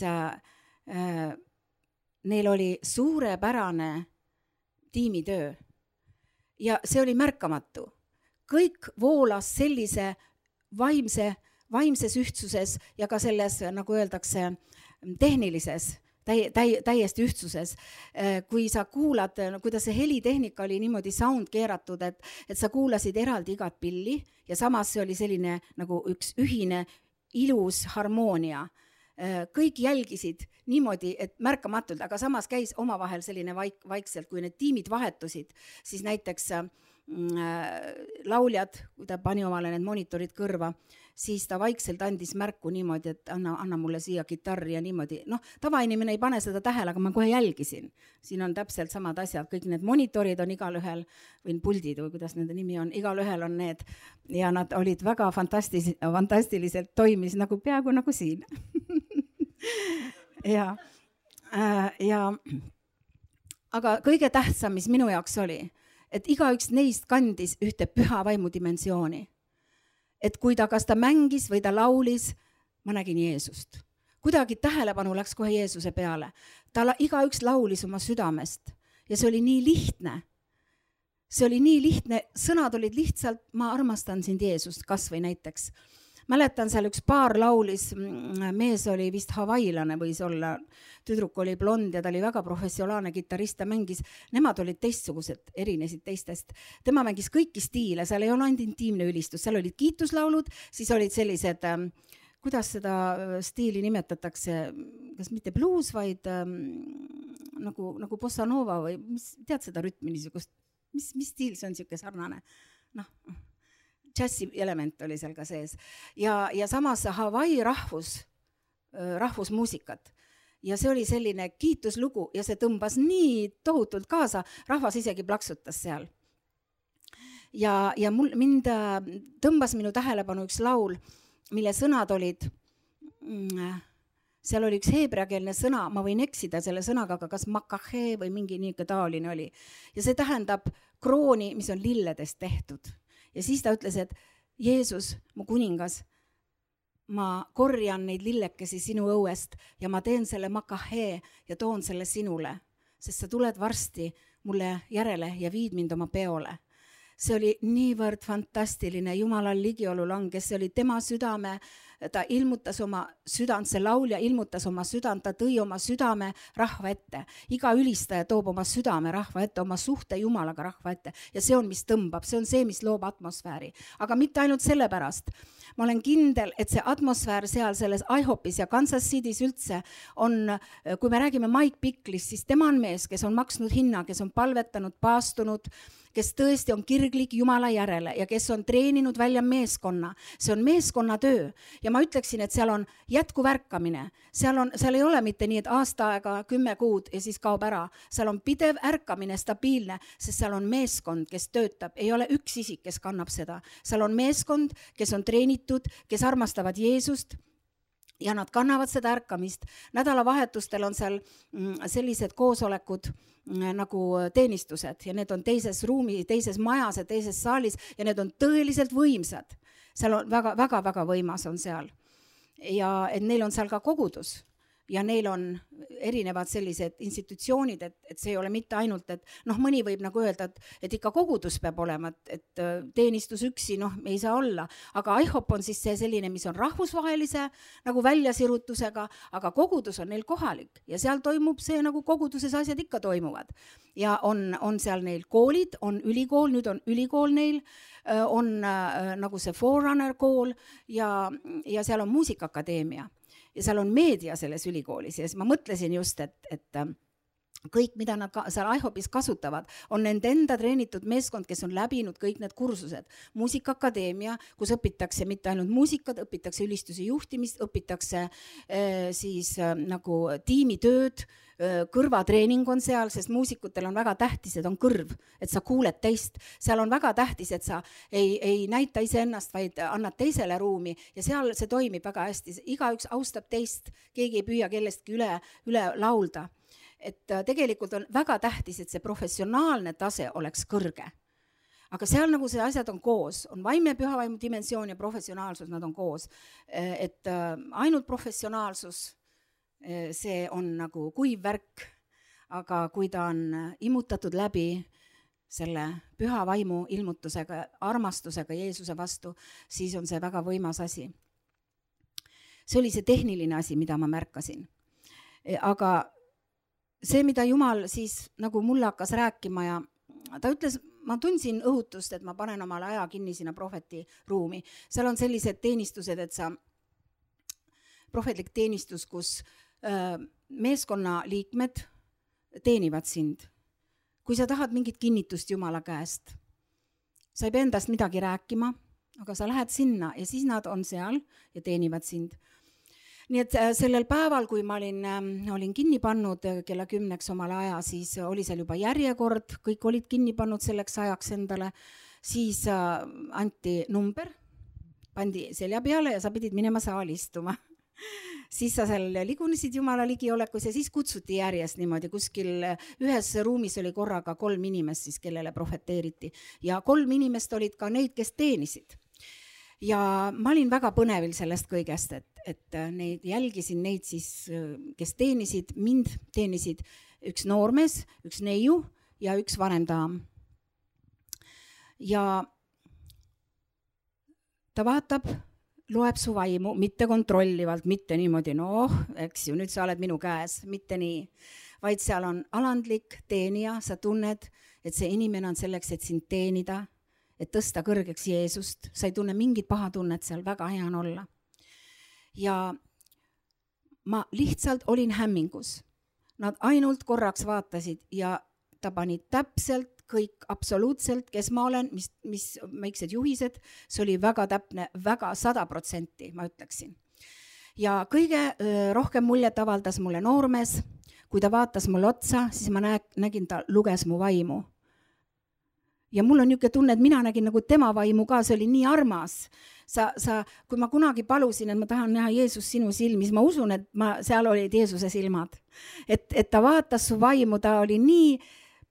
neil oli suurepärane tiimitöö ja see oli märkamatu. Kõik voolas sellise vaimses ühtsuses ja ka selles, nagu öeldakse, tehnilises, täiesti ühtsuses. Kui sa kuulad, kuidas see helitehnika oli niimoodi sound keeratud, et sa kuulasid eraldi igat pilli ja samas see oli selline nagu üks ühine ilus harmoonia. Kõik jälgisid niimoodi, et märkamatult, aga samas käis omavahel selline vaikselt, kui need tiimid vahetusid, siis näiteks lauljad, kui ta pani omale need monitorid kõrva, siis ta vaikselt andis märku niimoodi, et anna mulle siia kitarri ja niimoodi. Noh, tavainimene ei pane seda tähele, aga ma kohe jälgisin. Siin on täpselt samad asjad, kõik need monitorid on igalühel, või puldid või kuidas nende nimi on, igalühel on need. Ja nad olid väga fantastiliselt toimis, nagu peaaegu nagu siin. ja aga kõige tähtsam, mis minu jaoks oli, et igaüks neist kandis ühte püha vaimu dimensiooni. Et kui kas ta mängis või ta laulis, ma nägin Jeesust. Kuidagi tähelepanu läks kohe Jeesuse peale. Igaüks laulis oma südamest ja see oli nii lihtne. See oli nii lihtne, sõnad olid lihtsalt, ma armastan sind Jeesust, kas või näiteks. Mäletan, seal üks paar laulis, mees oli vist havailane võis olla, tüdruk oli blond ja ta oli väga professionaalne kitarrist, ta mängis, nemad olid teistsugused, erinesid teistest. Tema mängis kõiki stiile, seal ei ole ainult intiimne ülistus, seal olid kiituslaulud, siis olid sellised, kuidas seda stiili nimetatakse, kas mitte blues, vaid nagu bossa nova või tead seda rütmi niisugust, mis stiil see on niisugune sarnane? Noh, džässi element oli seal ka sees. Ja samas Hawaii rahvusmuusikat. Ja see oli selline kiituslugu ja see tõmbas nii tohutult kaasa, rahvas isegi plaksutas seal. Ja mind tõmbas minu tähelepanu üks laul, mille sõnad olid, seal oli üks heebreakeelne sõna, ma võin eksida selle sõnaga, aga kas makahe või mingi niisugune taoline oli. Ja see tähendab krooni, mis on lilledest tehtud. Ja siis ta ütles, et Jeesus, mu kuningas, ma korjan neid lillekesi sinu õuest ja ma teen selle makahe ja toon selle sinule, sest sa tuled varsti mulle järele ja viid mind oma peole. See oli niivõrd fantastiline, Jumalal ligiolu langes, see oli tema südame, ta ilmutas oma südant, see laulja ilmutas oma südant, ta tõi oma südame rahva ette. Iga ülistaja toob oma südame rahva ette, oma suhte Jumalaga rahva ette ja see on, mis tõmbab, see on see, mis loob atmosfääri. Aga mitte ainult sellepärast. Ma olen kindel, et see atmosfäär seal selles IHOPis ja Kansas City's üldse on, kui me räägime Mike Bicklist, siis tema on mees, kes on maksnud hinna, kes on palvetanud, paastunud, kes tõesti on kirglik Jumala järele ja kes on treeninud välja meeskonna. See on meeskonna töö ja ma ütleksin, et seal on jätkuvärkamine. Seal ei ole mitte nii, et aasta aega 10 kuud ja siis kaob ära. Seal on pidev ärkamine, stabiilne, sest seal on meeskond, kes töötab. Ei ole üks isik, kes kannab seda. Seal on meeskond, kes on treenitud, kes armastavad Jeesust ja nad kannavad seda ärkamist. Nädalavahetustel on seal sellised koosolekud nagu teenistused ja need on teises ruumi, teises majas ja teises saalis ja need on tõeliselt võimsad. Seal on väga võimas on seal. Ja et neil on seal ka kogudus ja neil on erinevad sellised institutsioonid, et see ei ole mitte ainult, et mõni võib nagu öelda, et ikka kogudus peab olema, et teenistus üksi, ei saa olla, aga IHOP on siis see selline, mis on rahvusvahelise nagu väljasirutusega, aga kogudus on neil kohalik ja seal toimub see, nagu koguduses asjad ikka toimuvad. Ja on seal neil koolid, on ülikool, nüüd on ülikool neil, on nagu see Forerunner kool ja seal on muusikaakadeemia. Ja seal on meedia selles ülikoolis ja ma mõtlesin just, et kõik, mida nad seal IHOPis kasutavad, on nende enda treenitud meeskond, kes on läbinud kõik need kursused. Muusikaakadeemia, kus õpitakse mitte ainult muusikat, õpitakse ülistuse juhtimist, õpitakse siis nagu tiimitööd, kõrvatreening on seal, sest muusikutel on väga tähtis, et on kõrv, et sa kuuled teist. Seal on väga tähtis, et sa ei näita iseennast, vaid annad teisele ruumi ja seal see toimib väga hästi. Igaüks austab teist, keegi ei püüa kellestki üle laulda. Et tegelikult on väga tähtis, et see professionaalne tase oleks kõrge. Aga seal nagu see asjad on koos, on vaimne pühavaimu dimensioon ja professionaalsus, nad on koos. Et ainult professionaalsus, see on nagu kuiv värk, aga kui ta on imutatud läbi selle püha vaimu ilmutusega, armastusega Jeesuse vastu, siis on see väga võimas asi. See oli see tehniline asi, mida ma märkasin. Aga see, mida Jumal siis nagu mulle hakkas rääkima ja ta ütles, ma tundsin õhutust, et ma panen omale aja kinni sinna prohveti ruumi. Seal on sellised teenistused, et sa prohvetlik teenistus, kus meeskonna liikmed teenivad sind. Kui sa tahad mingit kinnitust Jumala käest, sa ei pea endast midagi rääkima, aga sa lähed sinna ja siis nad on seal ja teenivad sind. Nii et sellel päeval, kui ma olin kinni pannud kella 10 omal aja, siis oli seal juba järjekord, kõik olid kinni pannud selleks ajaks endale, siis anti number, pandi selja peale ja sa pidid minema saali istuma. Siis sa seal ligunesid Jumala ligiolekus ja siis kutsuti järjest niimoodi, kuskil ühes ruumis oli korraga 3 inimest siis, kellele profeteeriti ja 3 inimest olid ka neid, kes teenisid. Ja ma olin väga põnevil sellest kõigest, et neid jälgisin neid siis, kes teenisid, mind teenisid üks noormees, üks neiu ja üks vanem daam. Ja ta vaatab, loeb su vaimu, mitte kontrollivalt, mitte niimoodi, eks ju, nüüd sa oled minu käes, mitte nii, vaid seal on alandlik teenija, sa tunned, et see inimene on selleks, et sind teenida, et tõsta kõrgeks Jeesust, sa ei tunne mingit paha tunnet seal, väga hea on olla. Ja ma lihtsalt olin hämmingus. Nad ainult korraks vaatasid ja ta pani täpselt kõik absoluutselt, kes ma olen, mis väiksed juhised, see oli väga täpne, väga 100%, ma ütleksin. Ja kõige rohkem muljet avaldas mulle noormees, kui ta vaatas mulle otsa, siis ma nägin, ta luges mu vaimu. Ja mul on niisugune tunne, et mina nägin nagu tema vaimu ka, see oli nii armas. Kui ma kunagi palusin, et ma tahan näha Jeesus sinu silmis, ma usun, et seal olid Jeesuse silmad. Et ta vaatas su vaimu, ta oli nii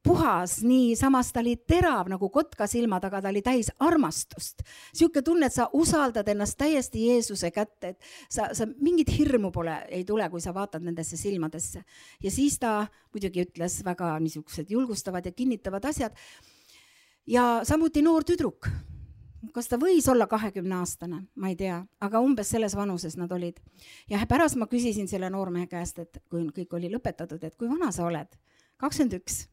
puhas, nii samas ta oli terav nagu kotka silmad, aga ta oli täis armastust. Siuke tunne, et sa usaldad ennast täiesti Jeesuse kätte, et sa mingit hirmu ei tule, kui sa vaatad nendesse silmadesse. Ja siis ta muidugi ütles väga niisugused julgustavad ja kinnitavad asjad. Ja samuti noor tüdruk. Kas ta võis olla 20-aastane? Ma ei tea, aga umbes selles vanuses nad olid. Ja pärast ma küsisin selle noormehe käest, et kui kõik oli lõpetatud, et kui vana sa oled? 21.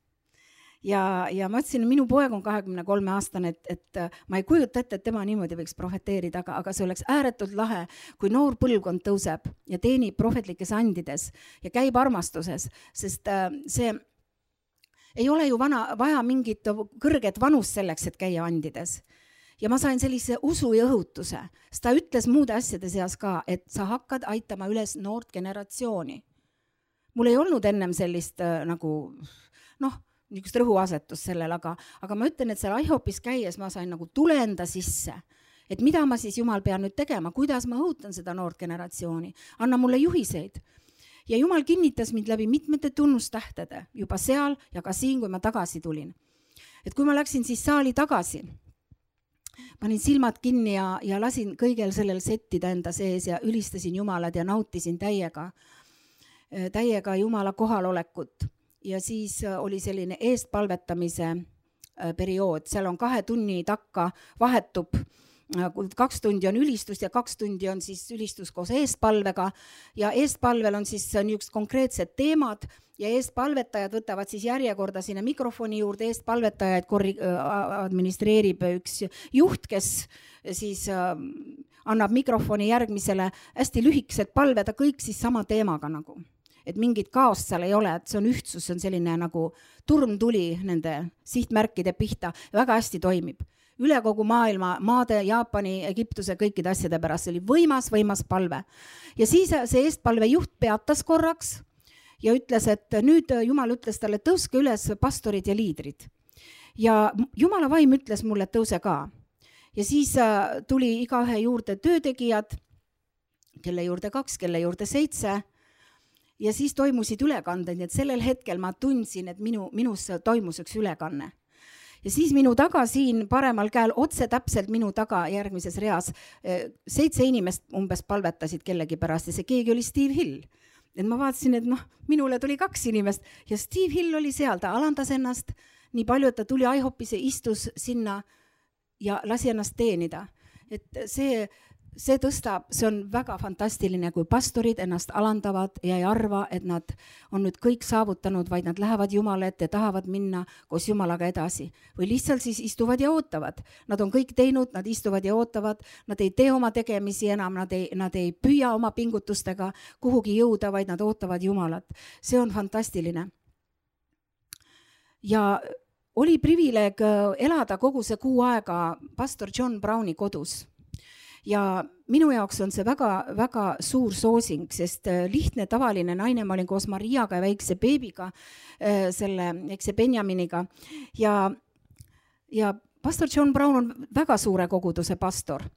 Ja ma ütlesin, minu poeg on 23-aastane, et ma ei kujuta ette, et tema niimoodi võiks profeteerida, aga see oleks ääretult lahe, kui noor põlvkond tõuseb ja teenib prohvetlikes andides ja käib armastuses, sest see ei ole ju vaja mingit kõrget vanust selleks, et käia andides. Ja ma sain sellise usu ja õhutuse, sest ta ütles muude asjade seas ka, et sa hakkad aitama üles noort generatsiooni. Mul ei olnud ennem sellist nagu, niisugust rõhuasetust sellel, aga ma ütlen, et seal IHOPis käies ma sain nagu tulenda sisse, et mida ma siis Jumal pean nüüd tegema, kuidas ma õhutan seda noort generatsiooni, anna mulle juhiseid. Ja Jumal kinnitas mind läbi mitmete tunnustähtede juba seal ja ka siin, kui ma tagasi tulin. Et kui ma läksin siis saali tagasi, panin silmad kinni ja lasin kõigel sellel settida enda sees ja ülistasin Jumalat ja nautisin täiega Jumala kohalolekut. Ja siis oli selline eestpalvetamise periood, seal on 2 tunni takka vahetub, 2 tundi on ülistust ja 2 tundi on siis ülistus koos eestpalvega ja eestpalvel on siis niisugused konkreetsed teemad ja eestpalvetajad võtavad siis järjekorda sinna mikrofoni juurde, eestpalvetajaid administreerib üks juht, kes siis annab mikrofoni järgmisele hästi lühikesed palveda kõik siis sama teemaga nagu. Et mingit kaost seal ei ole, et see on ühtsus, see on selline nagu turmtuli nende sihtmärkide pihta, väga hästi toimib. Üle kogu maailma, maade, Jaapani, Egiptuse, kõikide asjade pärast, see oli võimas palve. Ja siis see eestpalve juht peatas korraks ja ütles, et nüüd Jumal ütles talle, tõuske üles pastorid ja liidrid. Ja Jumala vaim ütles mulle, et tõuse ka. Ja siis tuli igaühe juurde töötegijad, kelle juurde 2, kelle juurde 7. Ja siis toimusid ülekanded, et sellel hetkel ma tundsin, et minus toimus üks ülekanne. Ja siis minu taga siin paremal käel, otse täpselt minu taga järgmises reas, 7 inimest umbes palvetasid kellegi pärast ja see keegi oli Steve Hill. Et ma vaatasin, et minule tuli 2 inimest ja Steve Hill oli seal, ta alandas ennast nii palju, et ta tuli IHOPis ja istus sinna ja lasi ennast teenida. Et see tõstab, see on väga fantastiline, kui pastorid ennast alandavad ja ei arva, et nad on nüüd kõik saavutanud, vaid nad lähevad Jumala ette, tahavad minna koos Jumalaga edasi. Või lihtsalt siis istuvad ja ootavad. Nad on kõik teinud, nad istuvad ja ootavad, nad ei tee oma tegemisi enam, nad ei püüa oma pingutustega kuhugi jõuda, vaid nad ootavad Jumalat. See on fantastiline. Ja oli privileeg elada kogu see kuu aega pastor John Browni kodus. Ja minu jaoks on see väga suur soosing, sest lihtne tavaline naine, ma olin koos Mariaga ja väikse beebiga, väikse Benjaminiga ja pastor John Brown on väga suure koguduse pastor.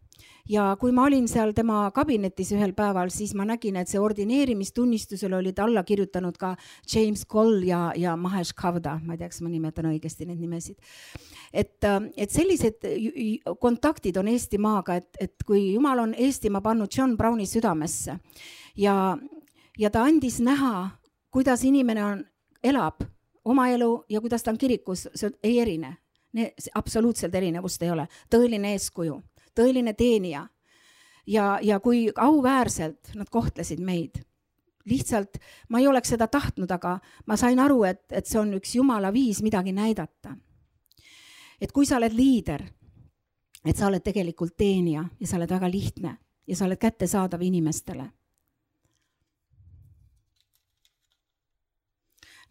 Ja kui ma olin seal tema kabinetis ühel päeval, siis ma nägin, et see ordineerimistunnistusel olid alla kirjutanud ka James Cole ja Mahesh Kavda, ma ei tea, kas ma nimetan õigesti neid nimesid. Et sellised kontaktid on Eestimaaga, et kui Jumal on Eestimaa pannud John Browni südamesse ja ta andis näha, kuidas inimene elab oma elu ja kuidas ta on kirikus, see ei erine. Absoluutselt erinevust ei ole. Tõeline eeskuju, tõeline teenija ja kui auväärselt nad kohtlesid meid. Lihtsalt ma ei oleks seda tahtnud, aga ma sain aru, et see on üks Jumala viis midagi näidata. Et kui sa oled liider, et sa oled tegelikult teenija ja sa oled väga lihtne ja sa oled kättesaadav inimestele.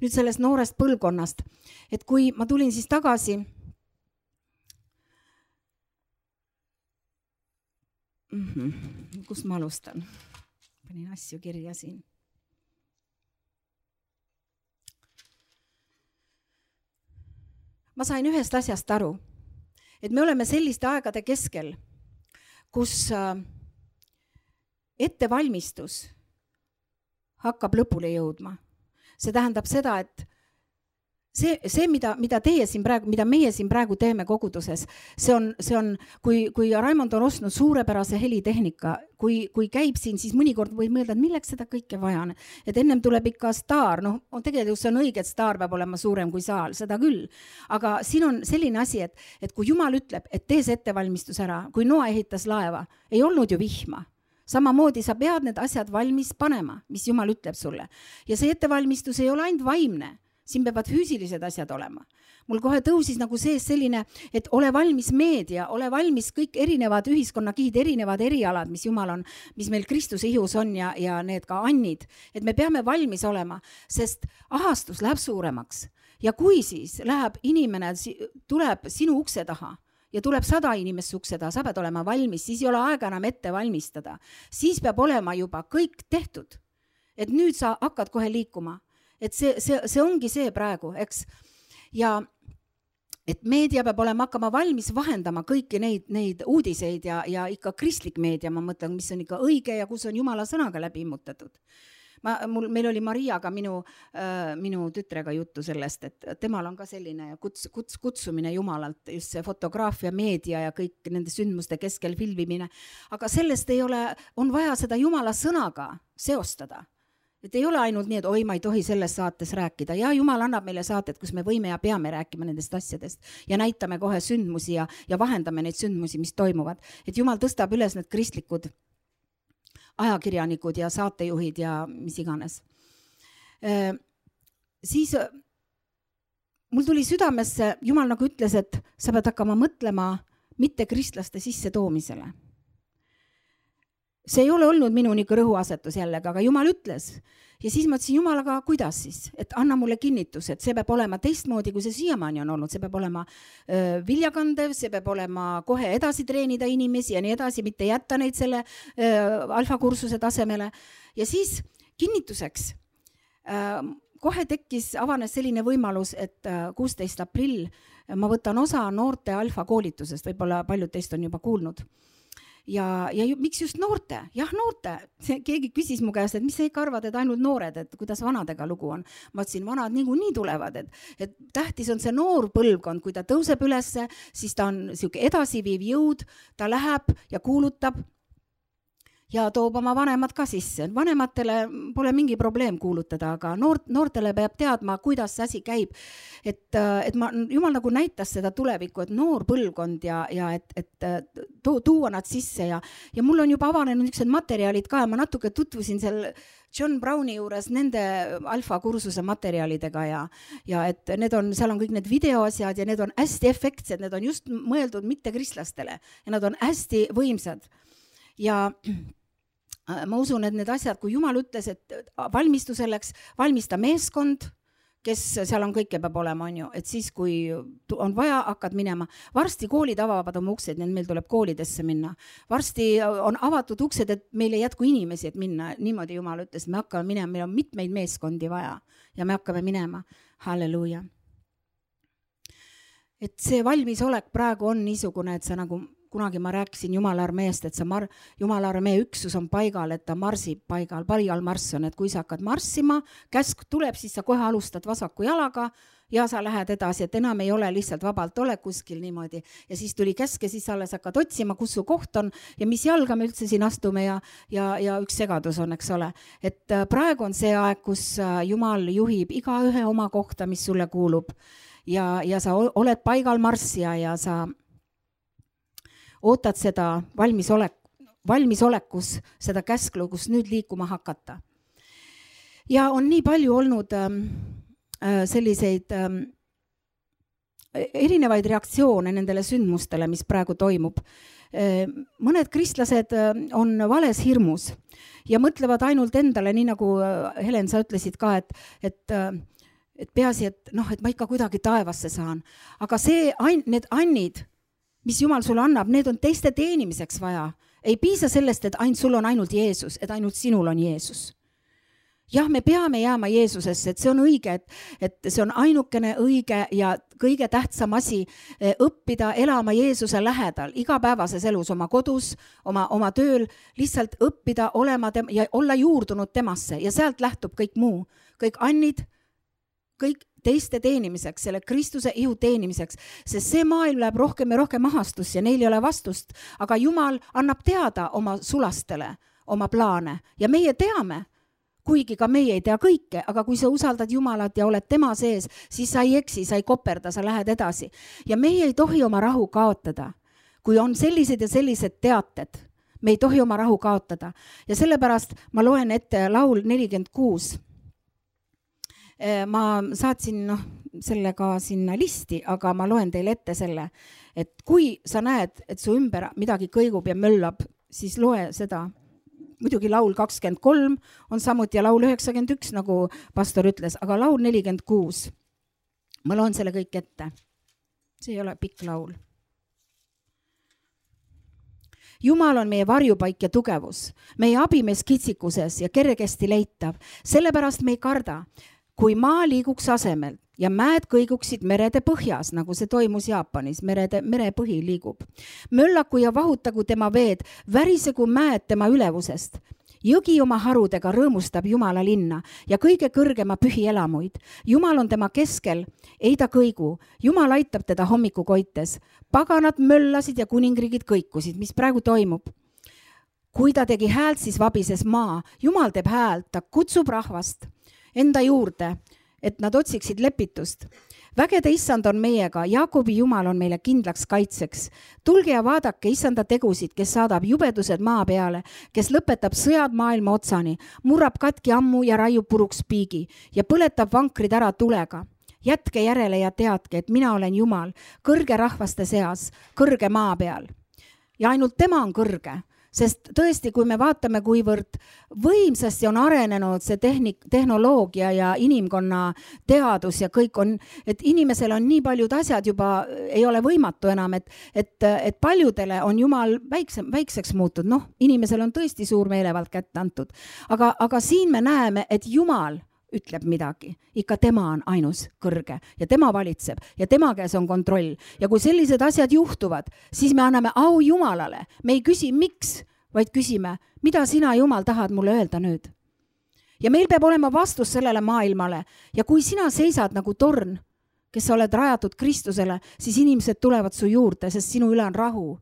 Nüüd sellest noorest põlvkonnast, et kui ma tulin siis tagasi, kust ma alustan? Panin asju kirja siin. Ma sain ühest asjast aru, et me oleme selliste aegade keskel, kus ettevalmistus hakkab lõpule jõudma. See tähendab seda, et see mida meie siin praegu teeme koguduses, see on kui Raimond on ostnud suurepärase helitehnika, kui käib siin, siis mõnikord võib mõelda, et milleks seda kõike vaja on. Et ennem tuleb ikka staar, tegelikult see on õige, et staar peab olema suurem kui saal, seda küll. Aga siin on selline asi, et kui Jumal ütleb, et tee see ettevalmistus ära, kui Noa ehitas laeva, ei olnud ju vihma. Samamoodi sa pead need asjad valmis panema, mis Jumal ütleb sulle. Ja see ettevalmistus ei ole ainult vaimne. Siin peavad füüsilised asjad olema. Mul kohe tõusis nagu sees selline, et ole valmis meedia, ole valmis kõik erinevad ühiskonnakihid, erinevad erialad, mis Jumal on, mis meil Kristuse ihus on ja need ka annid. Et me peame valmis olema, sest ahastus läheb suuremaks. Ja kui siis läheb inimene, tuleb sinu ukse taha ja tuleb 100 inimest ukse taha, sa pead olema valmis, siis ei ole aega enam ette valmistada. Siis peab olema juba kõik tehtud. Et nüüd sa hakkad kohe liikuma. Et see ongi see praegu, eks. Ja et meedia peab olema hakkama valmis vahendama kõiki neid uudiseid ja ikka kristlik meedia, ma mõtlen, mis on ikka õige ja kus on Jumala sõnaga läbi immutatud. Meil oli Mariaga minu tütrega juttu sellest, et temal on ka selline kutsumine Jumalalt, just see fotograafia, meedia ja kõik nende sündmuste keskel filmimine. Aga sellest on vaja seda Jumala sõnaga seostada. Et ei ole ainult nii, et ma ei tohi selles saates rääkida. Ja Jumal annab meile saated, kus me võime ja peame rääkima nendest asjadest ja näitame kohe sündmusi ja vahendame neid sündmusi, mis toimuvad. Et Jumal tõstab üles need kristlikud ajakirjanikud ja saatejuhid ja mis iganes. Siis mul tuli südamesse, Jumal nagu ütles, et sa pead hakkama mõtlema mitte kristlaste sisse toomisele. See ei ole olnud minu niisugune rõhuasetus jällegi, aga Jumal ütles. Ja siis ma ütlesin, Jumal, aga kuidas siis? Et anna mulle kinnitus, et see peab olema teistmoodi, kui see siiamaani on olnud. See peab olema viljakandev, see peab olema kohe edasi treenida inimesi ja nii edasi, mitte jätta neid selle alfakursuse tasemele. Ja siis kinnituseks kohe avanes selline võimalus, et 16. aprill ma võtan osa noorte alfa koolitusest, võib-olla paljud teist on juba kuulnud. Ja miks just noorte? Jah, noorte. Keegi küsis mu käest, et mis sa ikka arvad, et ainult noored, et kuidas vanadega lugu on. Ma ütlesin, vanad nii tulevad, et tähtis on see noor põlvkond, kui ta tõuseb ülesse, siis ta on siuke edasiviiv jõud, ta läheb ja kuulutab ja toob oma vanemad ka sisse. Vanematele pole mingi probleem kuulutada, aga noortele peab teadma, kuidas see asi käib. Et Jumal nagu näitas seda tulevikku, et noor põlvkond ja et tuua nad sisse ja mul on juba avanenud niisugused materjalid ka ja ma natuke tutvusin seal John Browni juures nende alfakursuse materjalidega ja et seal on kõik need videoasjad ja need on hästi efektsed, need on just mõeldud mitte kristlastele ja nad on hästi võimsad. Ja ma usun, et need asjad, kui Jumal ütles, et valmistu selleks, valmista meeskond, kes seal on kõike peab olema, on ju, et siis, kui on vaja, hakkad minema. Varsti koolid avavad oma uksed, nii et meil tuleb koolidesse minna. Varsti on avatud uksed, et meil ei jätku inimesi, et minna. Niimoodi Jumal ütles, me hakkame minema, meil on mitmeid meeskondi vaja ja me hakkame minema. Halleluuja. Et see valmisolek praegu on niisugune, et sa nagu kunagi ma rääkisin Jumala armeest, et Jumala armee üksus on paigal, et ta marsib paigal marss on, et kui sa hakkad marssima, käsk tuleb, siis sa kohe alustad vasaku jalaga ja sa lähed edasi, et enam ei ole lihtsalt vabalt ole kuskil niimoodi. Ja siis tuli käsk ja siis alles hakkad otsima, kus su koht on ja mis jalga me üldse siin astume ja üks segadus on, eks ole. Et praegu on see aeg, kus Jumal juhib igaühe oma kohta, mis sulle kuulub ja sa oled paigal marssija ja sa ootad seda valmisolekus, seda käsklu, kus nüüd liikuma hakata. Ja on nii palju olnud selliseid erinevaid reaktsioone nendele sündmustele, mis praegu toimub. Mõned kristlased on vales hirmus ja mõtlevad ainult endale, nii nagu Helen, sa ütlesid ka, et peaasi, et ma ikka kuidagi taevasse saan. Aga need annid, mis Jumal sulle annab, need on teiste teenimiseks vaja. Ei piisa sellest, et sul on ainult Jeesus, et ainult sinul on Jeesus. Jah, me peame jääma Jeesusesse, et see on õige, et see on ainukene õige ja kõige tähtsam asi õppida elama Jeesuse lähedal, igapäevases elus, oma kodus, oma tööl, lihtsalt õppida olema ja olla juurdunud temasse ja sealt lähtub kõik muu, kõik annid, kõik teiste teenimiseks, selle Kristuse ihu teenimiseks, sest see maailm läheb rohkem ja rohkem ahastus ja neil ei ole vastust, aga Jumal annab teada oma sulastele, oma plaane ja meie teame, kuigi ka meie ei tea kõike, aga kui sa usaldad Jumalat ja oled tema sees, siis sa ei eksi, sa ei koperda, sa lähed edasi. Ja meie ei tohi oma rahu kaotada, kui on sellised ja sellised teated, me ei tohi oma rahu kaotada ja sellepärast ma loen ette laul 46. Ma saatsin sellega sinna listi, aga ma loen teile ette selle, et kui sa näed, et su ümber midagi kõigub ja möllab, siis loe seda. Muidugi laul 23 on samuti ja laul 91, nagu pastor ütles, aga laul 46. Ma loen selle kõik ette. See ei ole pikk laul. Jumal on meie varjupaik ja tugevus, meie abimees kitsikuses ja kergesti leitav, sellepärast me ei karda. Kui maa liiguks asemel ja mäed kõiguksid merede põhjas, nagu see toimus Jaapanis, merepõhi liigub. Möllaku ja vahutagu tema veed, värisegu mäed tema ülevusest. Jõgi oma harudega rõõmustab Jumala linna ja kõige kõrgema pühi elamuid. Jumal on tema keskel, ei ta kõigu. Jumal aitab teda hommikukoites. Paganad möllasid ja kuningriigid kõikusid, mis praegu toimub. Kui ta tegi häält, siis vabises maa. Jumal teeb häält, ta kutsub rahvast enda juurde, et nad otsiksid lepitust. Vägede issand on meiega, Jaakobi Jumal on meile kindlaks kaitseks. Tulge ja vaadake issanda tegusid, kes saadab jubedused maa peale, kes lõpetab sõjad maailma otsani, murrab katki ammu ja raiub puruks piigi ja põletab vankrid ära tulega. Jätke järele ja teadke, et mina olen Jumal, kõrge rahvaste seas, kõrge maa peal. Ja ainult tema on kõrge. Sest tõesti, kui me vaatame, kuivõrd võimsasti on arenenud see tehnoloogia ja inimkonna teadus ja kõik on, et inimesel on nii paljud asjad juba ei ole võimatu enam, et paljudele on Jumal väikseks muutud. Inimesel on tõesti suur meelevald kätte antud. Aga siin me näeme, et Jumal ütleb midagi. Ikka tema on ainus kõrge ja tema valitseb ja tema käes on kontroll. Ja kui sellised asjad juhtuvad, siis me anname au Jumalale. Me ei küsi miks, vaid küsime, mida sina, Jumal, tahad mulle öelda nüüd. Ja meil peab olema vastus sellele maailmale. Ja kui sina seisad nagu torn, kes sa oled rajatud Kristusele, siis inimesed tulevad su juurde, sest sinu üle on rahu.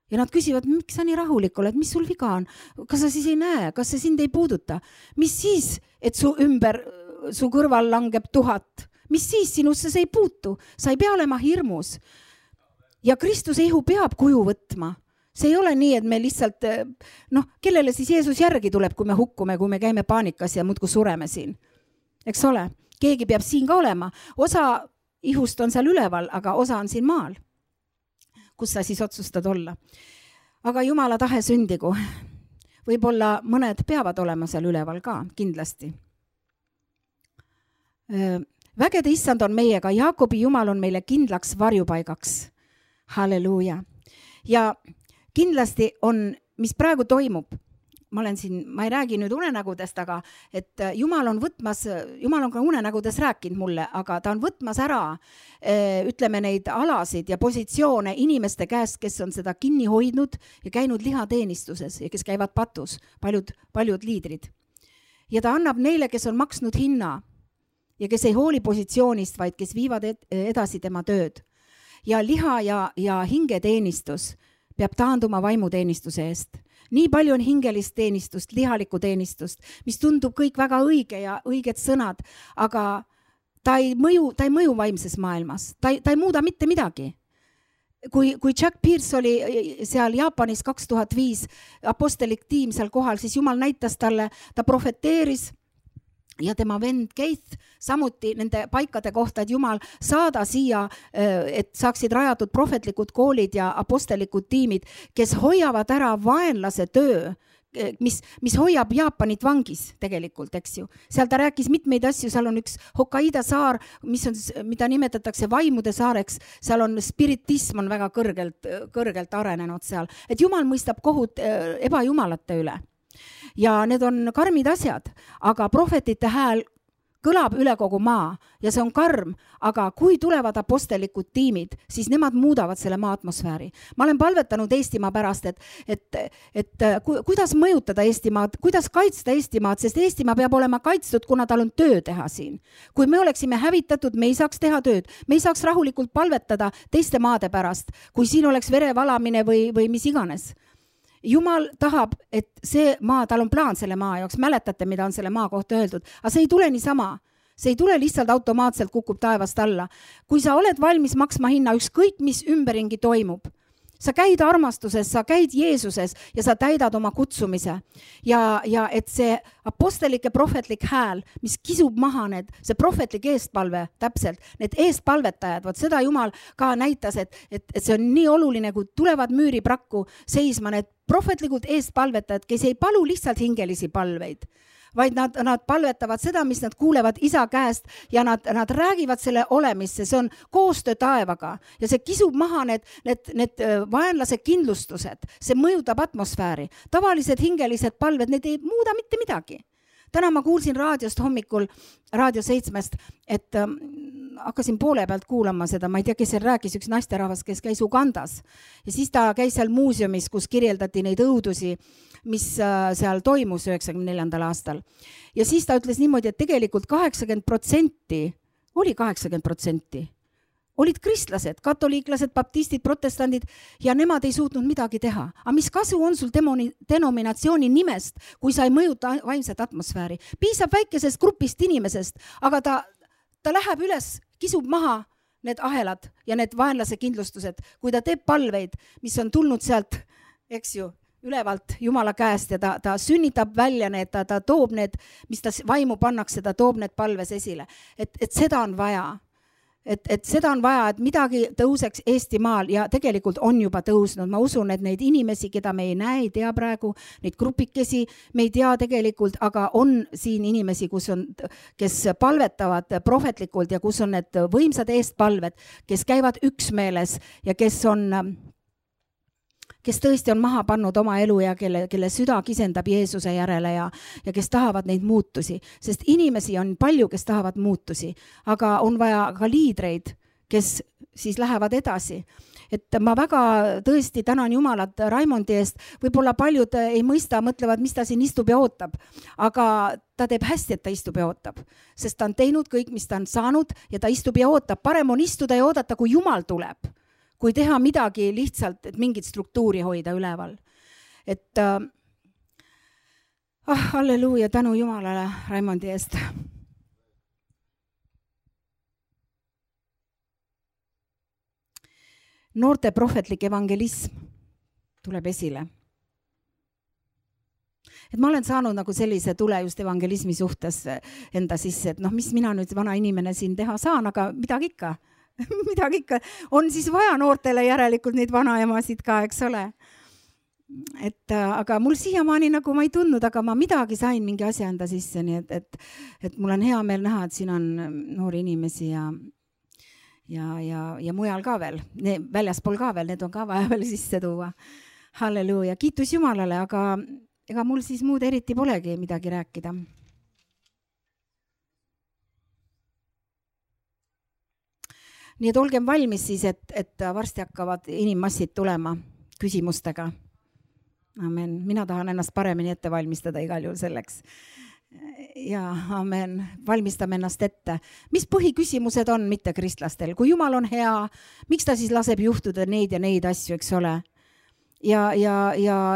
Ja nad küsivad, miks sa nii rahulik oled, mis sul viga on? Kas sa siis ei näe, kas see sind ei puuduta? Mis siis, et su ümber, su kõrval langeb 1000? Mis siis, sinusse see ei puutu? Sa ei pea olema hirmus. Ja Kristuse ihu peab kuju võtma. See ei ole nii, et me lihtsalt, kellele siis Jeesus järgi tuleb, kui me hukkume, kui me käime paanikas ja muudkui sureme siin. Eks ole? Keegi peab siin ka olema. Osa ihust on seal üleval, aga osa on siin maal. Kus sa siis otsustad olla. Aga Jumala tahe sündigu. Võib-olla mõned peavad olema seal üleval ka, kindlasti. vägede issand on meiega, Jaakobi Jumal on meile kindlaks varjupaigaks. Halleluuja. Ja kindlasti on, mis praegu toimub, ma ei räägi nüüd unenägudest, aga et Jumal on ka unenägudes rääkinud mulle, aga ta on võtmas ära, ütleme neid alasid ja positsioone inimeste käest, kes on seda kinni hoidnud ja käinud lihateenistuses ja kes käivad patus, paljud liidrid. Ja ta annab neile, kes on maksnud hinna ja kes ei hooli positsioonist, vaid kes viivad edasi tema tööd. Ja liha ja hingeteenistus peab taanduma vaimuteenistuse eest. Nii palju on hingelist teenistust, lihalikku teenistust, mis tundub kõik väga õige ja õiged sõnad, aga ta ei mõju vaimses maailmas. Ta ei muuda mitte midagi. Kui Jack Pierce oli seal Jaapanis 2005 apostelik tiim seal kohal, siis Jumal näitas talle, ta profeteeris ja tema vend Keith samuti nende paikade kohta, et Jumal saada siia, et saaksid rajatud prohvetlikud koolid ja apostelikud tiimid, kes hoiavad ära vaenlase töö, mis hoiab Jaapanit vangis tegelikult, eks ju. Seal ta rääkis mitmeid asju, seal on üks Hokkaido saar, mida nimetatakse vaimude saareks, seal on spiritism on väga kõrgelt arenenud seal, et Jumal mõistab kohut ebajumalate üle. Ja need on karmid asjad, aga prohvetite hääl kõlab üle kogu maa ja see on karm, aga kui tulevad apostelikud tiimid, siis nemad muudavad selle maa atmosfääri. Ma olen palvetanud Eestimaa pärast, et kuidas mõjutada Eestimaad, kuidas kaitsta Eestimaad, sest Eestimaa peab olema kaitstud, kuna tal on töö teha siin. Kui me oleksime hävitatud, me ei saaks teha tööd, me ei saaks rahulikult palvetada teiste maade pärast, kui siin oleks verevalamine või mis iganes. Jumal tahab, et see maa, tal on plaan selle maa jaoks, mäletate, mida on selle maa kohta öeldud, aga see ei tule niisama. See ei tule lihtsalt automaatselt kukub taevast alla. Kui sa oled valmis maksma hinna, ükskõik mis ümberringi toimub, sa käid armastuses, sa käid Jeesuses ja sa täidad oma kutsumise. Ja et see apostolike prohvetlik hääl, mis kisub maha see prohvetlik eestpalve täpselt, need eestpalvetajad, seda Jumal ka näitas, et see on nii oluline, kui tulevad müüriprakku seisma need prohvetlikud eestpalvetajad, kes ei palu lihtsalt hingelisi palveid, vaid nad palvetavad seda, mis nad kuulevad isa käest ja nad räägivad selle olemisse, see on koostöö taevaga ja see kisub maha need vaenlase kindlustused, see mõjutab atmosfääri. Tavalised hingelised palved, need ei muuda mitte midagi. Täna ma kuulsin raadiost hommikul, Raadio 7-st, et hakkasin poole pealt kuulama seda, ma ei tea, kes seal rääkis, üks naisterahvas, kes käis Ugandas ja siis ta käis seal muuseumis, kus kirjeldati neid õudusi, mis seal toimus 94. aastal. Ja siis ta ütles niimoodi, et tegelikult 80% olid kristlased, katoliiklased, baptistid, protestandid ja nemad ei suutnud midagi teha. Aga mis kasu on sul denominatsiooni nimest, kui sa ei mõjuta vaimset atmosfääri? Piisab väikesest grupist inimesest, aga ta läheb üles, kisub maha need ahelad ja need vaenlase kindlustused, kui ta teeb palveid, mis on tulnud sealt, eks ju, ülevalt Jumala käest ja ta sünnitab välja need, ta toob need, mis ta vaimu pannakse, ta toob need palves esile. Et seda on vaja. Et seda on vaja, et midagi tõuseks Eestimaal ja tegelikult on juba tõusnud. Ma usun, et neid inimesi, keda me ei näe, ei tea praegu, neid grupikesi, me ei tea tegelikult, aga on siin inimesi, kes palvetavad prohvetlikult ja kus on need võimsad eestpalved, kes käivad üksmeeles ja kes tõesti on maha pannud oma elu ja kelle süda kisendab Jeesuse järele ja kes tahavad neid muutusi. Sest inimesi on palju, kes tahavad muutusi, aga on vaja ka liidreid, kes siis lähevad edasi. Et ma väga tõesti tänan Jumalat Raimondi eest. Võib-olla paljud ei mõista, mõtlevad, mis ta siin istub ja ootab. Aga ta teeb hästi, et ta istub ja ootab. Sest ta on teinud kõik, mis ta on saanud ja ta istub ja ootab. Parem on istuda ja oodata, kui Jumal tuleb. Kui teha midagi lihtsalt, et mingit struktuuri hoida üleval. Et halleluuja, tänu Jumalale Raimondi eest. Noorte prohvetlik evangelism tuleb esile. Et ma olen saanud nagu sellise tule just evangelismi suhtes enda sisse, et mis mina nüüd vana inimene siin teha saan, aga midagi ikka. Midagi ikka on siis vaja noortele järelikult neid vanaemasid ka, eks ole. aga mul siiamaani nagu ma ei tundnud, aga ma midagi sain mingi asja enda sisse, nii et mul on hea meel näha, et siin on noori inimesi ja mujal ka veel, väljaspool ka veel, need on ka vaja veel sisse tuua. Halleluuja, kiitus Jumalale, aga ega mul siis muud eriti polegi midagi rääkida. Nii et olgem valmis siis, et varsti hakkavad inimmassid tulema küsimustega. Amen. Mina tahan ennast paremini ette valmistada igal juhul selleks. Ja amen. Valmistame ennast ette. Mis põhiküsimused on mitte kristlastel? Kui Jumal on hea, miks ta siis laseb juhtuda neid ja neid asju, eks ole? Ja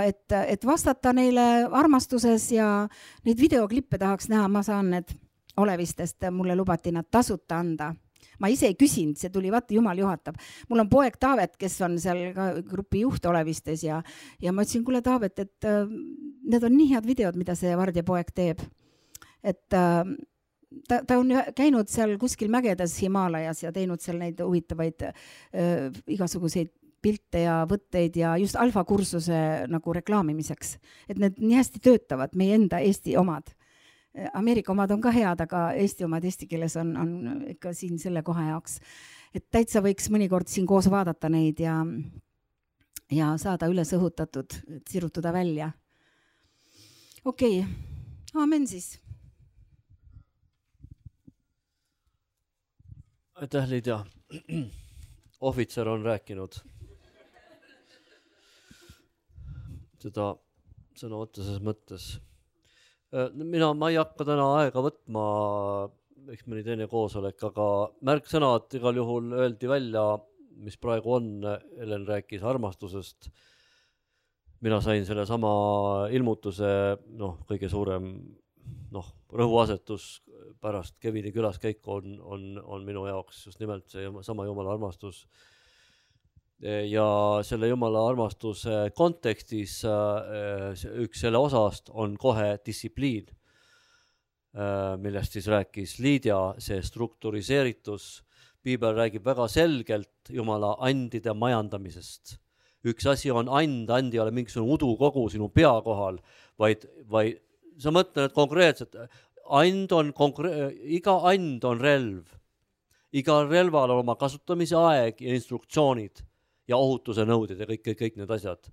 et vastata neile armastuses ja neid videoklippe tahaks näha, ma saan need olevistest, mulle lubati nad tasuta anda. Ma ise ei küsinud, see tuli, vaata, Jumal juhatab. Mul on poeg Taavet, kes on seal ka grupi juht olevistes ja ma ütlesin, kuule Taavet, et need on nii head videod, mida see Vardja poeg teeb. Et ta on käinud seal kuskil mägedes Himaalajas ja teinud seal neid huvitavaid igasuguseid pilte ja võtteid ja just alfakursuse nagu reklaamimiseks. Et need nii hästi töötavad, meie enda Eesti omad. Ameerika omad on ka head, aga Eesti omad eesti keeles on ikka siin selle koha jaoks. Et täitsa võiks mõnikord siin koos vaadata neid ja saada üles õhutatud, sirutuda välja. Okei, aamen siis. Aitäh, Liidia. Ohvitser on rääkinud seda sõna otseses mõttes. Ma ei hakka täna aega võtma, eks mõni teine koosolek, aga märksõnad igal juhul öeldi välja, mis praegu on. Helen rääkis armastusest. Mina sain selle sama ilmutuse, kõige suurem rõhuasetus pärast Kevini külaskäiku on minu jaoks just nimelt see sama Jumala armastus. Ja selle Jumala armastuse kontekstis üks selle osast on kohe distsipliin, millest siis rääkis Liidia, see struktuuriseeritus. Piibel räägib väga selgelt Jumala andide majandamisest. Üks asi on and ei ole mingisugune udukogu sinu pea kohal, vaid sa mõtled konkreetselt, iga and on relv. Iga relval on oma kasutamise aeg ja instruktsioonid ja ohutuse nõuded ja kõik need asjad.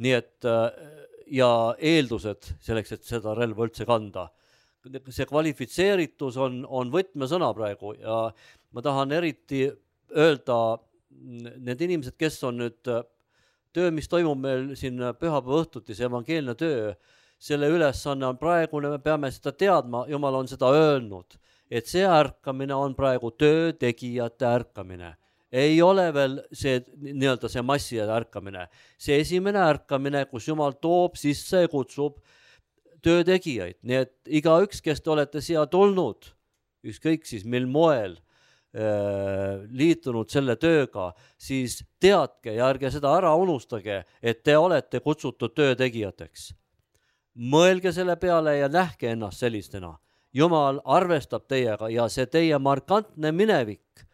Nii et ja eeldused selleks, et seda relva üldse kanda. See kvalifitseeritus on võtmesõna praegu ja ma tahan eriti öelda need inimesed, kes on nüüd töö, mis toimub meil siin pühapäeva õhtuti, see evangeelne töö, selle ülesanne on praegune, me peame seda teadma, Jumal on seda öelnud, et see ärkamine on praegu töötegijate ärkamine. Ei ole veel see masside ärkamine. See esimene ärkamine, kus Jumal toob sisse ja kutsub töötegijaid. Nii et igaüks, kes te olete siia tulnud, ükskõik siis mil moel liitunud selle tööga, siis teadke ja ärge seda ära unustage, et te olete kutsutud töötegijateks. Mõelge selle peale ja nähke ennast sellistena. Jumal arvestab teiega ja see teie markantne minevik,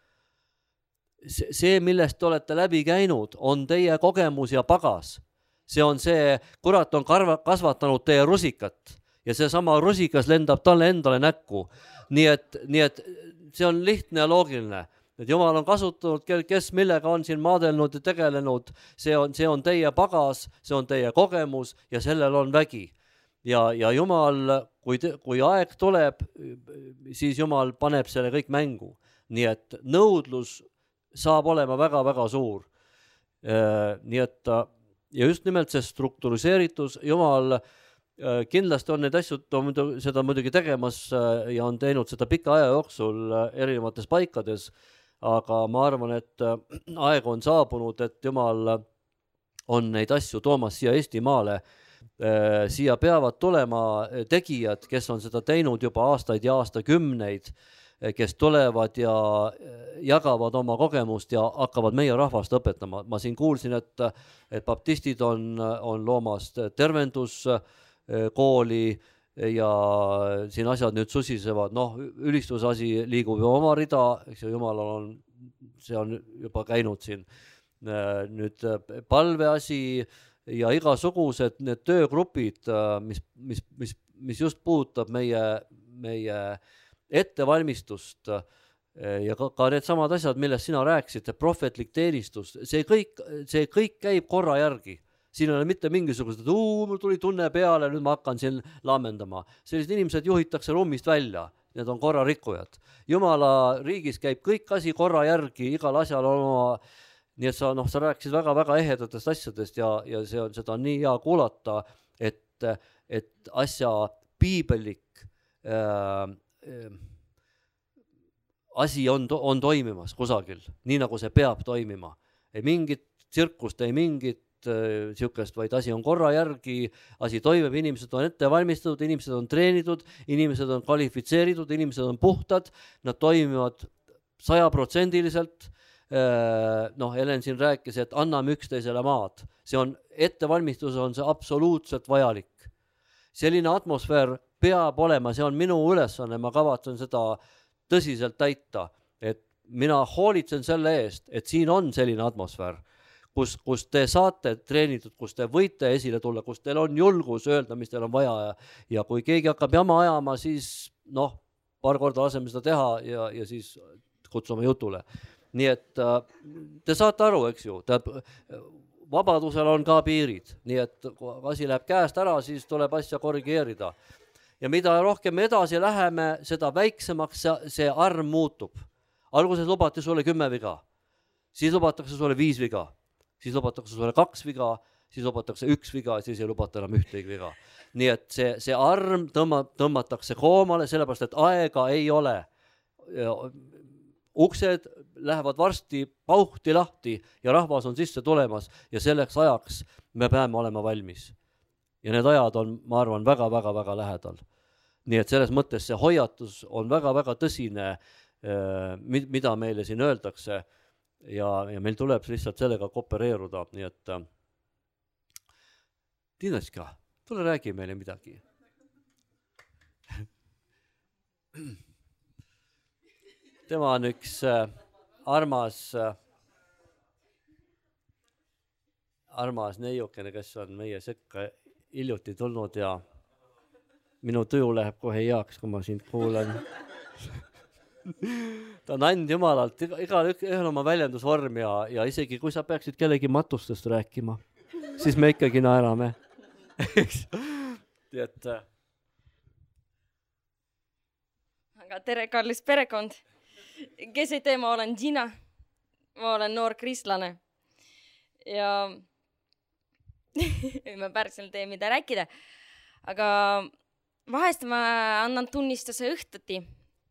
see, millest te olete läbi käinud, on teie kogemus ja pagas. See on see, kurat on kasvatanud teie rusikat ja see sama rusikas lendab talle endale näkku. Nii et see on lihtne ja loogiline. Et Jumal on kasutanud, kes millega on siin maadelnud ja tegelenud, see on teie pagas, see on teie kogemus ja sellel on vägi. Ja Jumal, kui aeg tuleb, siis Jumal paneb selle kõik mängu. Nii et nõudlus saab olema väga-väga suur. Nii et ja just nimelt see struktuuriseeritus, Jumal kindlasti on neid asju seda muidugi tegemas ja on teinud seda pika aja jooksul erinevates paikades, aga ma arvan, et aeg on saabunud, et Jumal on neid asju toomas siia Eestimaale. Siia peavad tulema tegijad, kes on seda teinud juba aastaid ja aastakümneid, kes tulevad ja jagavad oma kogemust ja hakkavad meie rahvast õpetama. Ma siin kuulsin, et baptistid on loomas tervenduskooli ja siin asjad nüüd susisevad. Ülistusasi liigub ju oma rida, eks ju, Jumalal see on juba käinud siin. Nüüd palveasi, ja igasugused need töögrupid, mis just puudutab meie ettevalmistust ja ka need samad asjad, millest sina rääkisid, prohvetlik teenistus, see kõik käib korra järgi. Siin ei ole mitte mingisugused, mul tuli tunne peale, nüüd ma hakkan siin laamendama. Sellised inimesed juhitakse ruumist välja, need on korra rikkujad. Jumala riigis käib kõik asi korra järgi, igal asjal on oma, nii et sa rääkisid väga-väga ehedatest asjadest ja seda on nii hea kuulata, et asja piibellik asi on toimimas kusagil, nii nagu see peab toimima. Ei mingit tsirkust, ei mingit siukest, vaid asi on korra järgi, asi toimub, inimesed on ette valmistatud, inimesed on treenitud, inimesed on kvalifitseeritud, inimesed on puhtad, nad toimivad 100%. Helen siin rääkis, et anname üksteisele maad. See on ettevalmistus, on see absoluutselt vajalik. Selline atmosfäär peab olema, see on minu ülesanne, ma kavatsen seda tõsiselt täita, et mina hoolitsen selle eest, et siin on selline atmosfäär, kus te saate treenitud, kus te võite esile tulla, kus teil on julgus öelda, mis teil on vaja ja kui keegi hakkab jama ajama, siis paar korda laseme seda teha ja siis kutsume jutule. Nii et te saate aru, eks ju, vabadusel on ka piirid, nii et kui asi läheb käest ära, siis tuleb asja korrigeerida. Ja mida rohkem edasi läheme, seda väiksemaks see arm muutub. Alguses lubati sulle 10 viga, siis lubatakse sulle 5 viga, siis lubatakse sulle 2 viga, siis lubatakse 1 viga, siis ei lubata enam ühtegi viga. Nii et see arm tõmmatakse koomale, sellepärast, et aega ei ole. Uksed lähevad varsti pauhti lahti ja rahvas on sisse tulemas ja selleks ajaks me peame olema valmis. Ja need ajad on, ma arvan, väga-väga-väga lähedal. Nii et selles mõttes see hoiatus on väga-väga tõsine, mida meile siin öeldakse ja meil tuleb lihtsalt sellega koopereeruda. Nii et Tiinaska, tule räägi meile midagi. Tema on üks armas neiukene, kes on meie sekka hiljuti tulnud ja minu tuju läheb kohe heaks, kui ma sind kuulan. Ta on and Jumalalt, igal ühel oma väljendusvorm ja isegi kui sa peaksid kellegi matustest rääkima, siis me ikkagi naerame. Aga tere, kallis perekond. Kes ei tea, ma olen Gina. Ma olen noor kristlane. Ja ma päriselt tee mida rääkida. Aga vahest ma annan tunnistuse õhtuti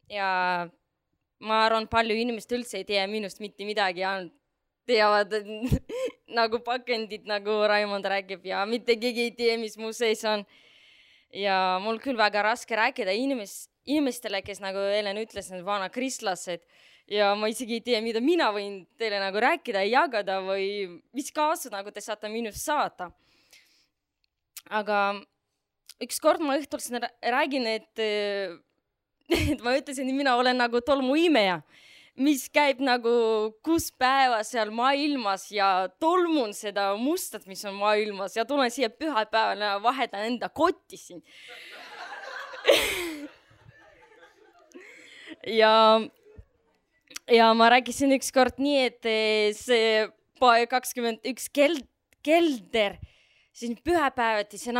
ja ma arvan, palju inimest üldse ei tea minust mitte midagi ja teavad nagu pakendid, nagu Raimond räägib ja mitte keegi ei tea, mis mu sees on. Ja mul küll väga raske rääkida inimestele, kes nagu Helen ütles, need vana kristlased ja ma isegi ei tea, mida mina võin teile nagu rääkida ja jagada või mis kaasa nagu te saate minust saata. Aga üks kord ma õhtul räägin, et ma ütlesin, et mina olen nagu tolmuimeja, mis käib nagu 6 päeva seal maailmas ja tolmun seda mustat, mis on maailmas ja tulen siia pühapäeval ja vahetan enda kotti siin. Ja ma rääkisin üks kord nii, et see 21 kelder siin pühapäevati, see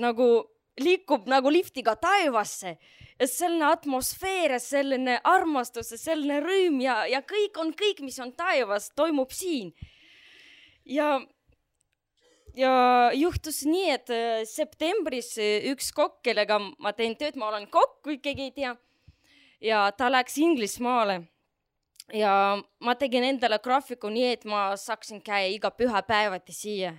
nagu liikub nagu liftiga taevasse. Ja selline atmosfäär, selline armastus, selline rõõm ja kõik on kõik, mis on taevas, toimub siin. Ja juhtus nii, et septembris üks kokk, kellega ma teen tööd, ma olen kokk, kui keegi ei tea. Ja ta läks Inglismaale ja ma tegin endale graafiku nii, et ma saaksin käia iga pühapäevati siia.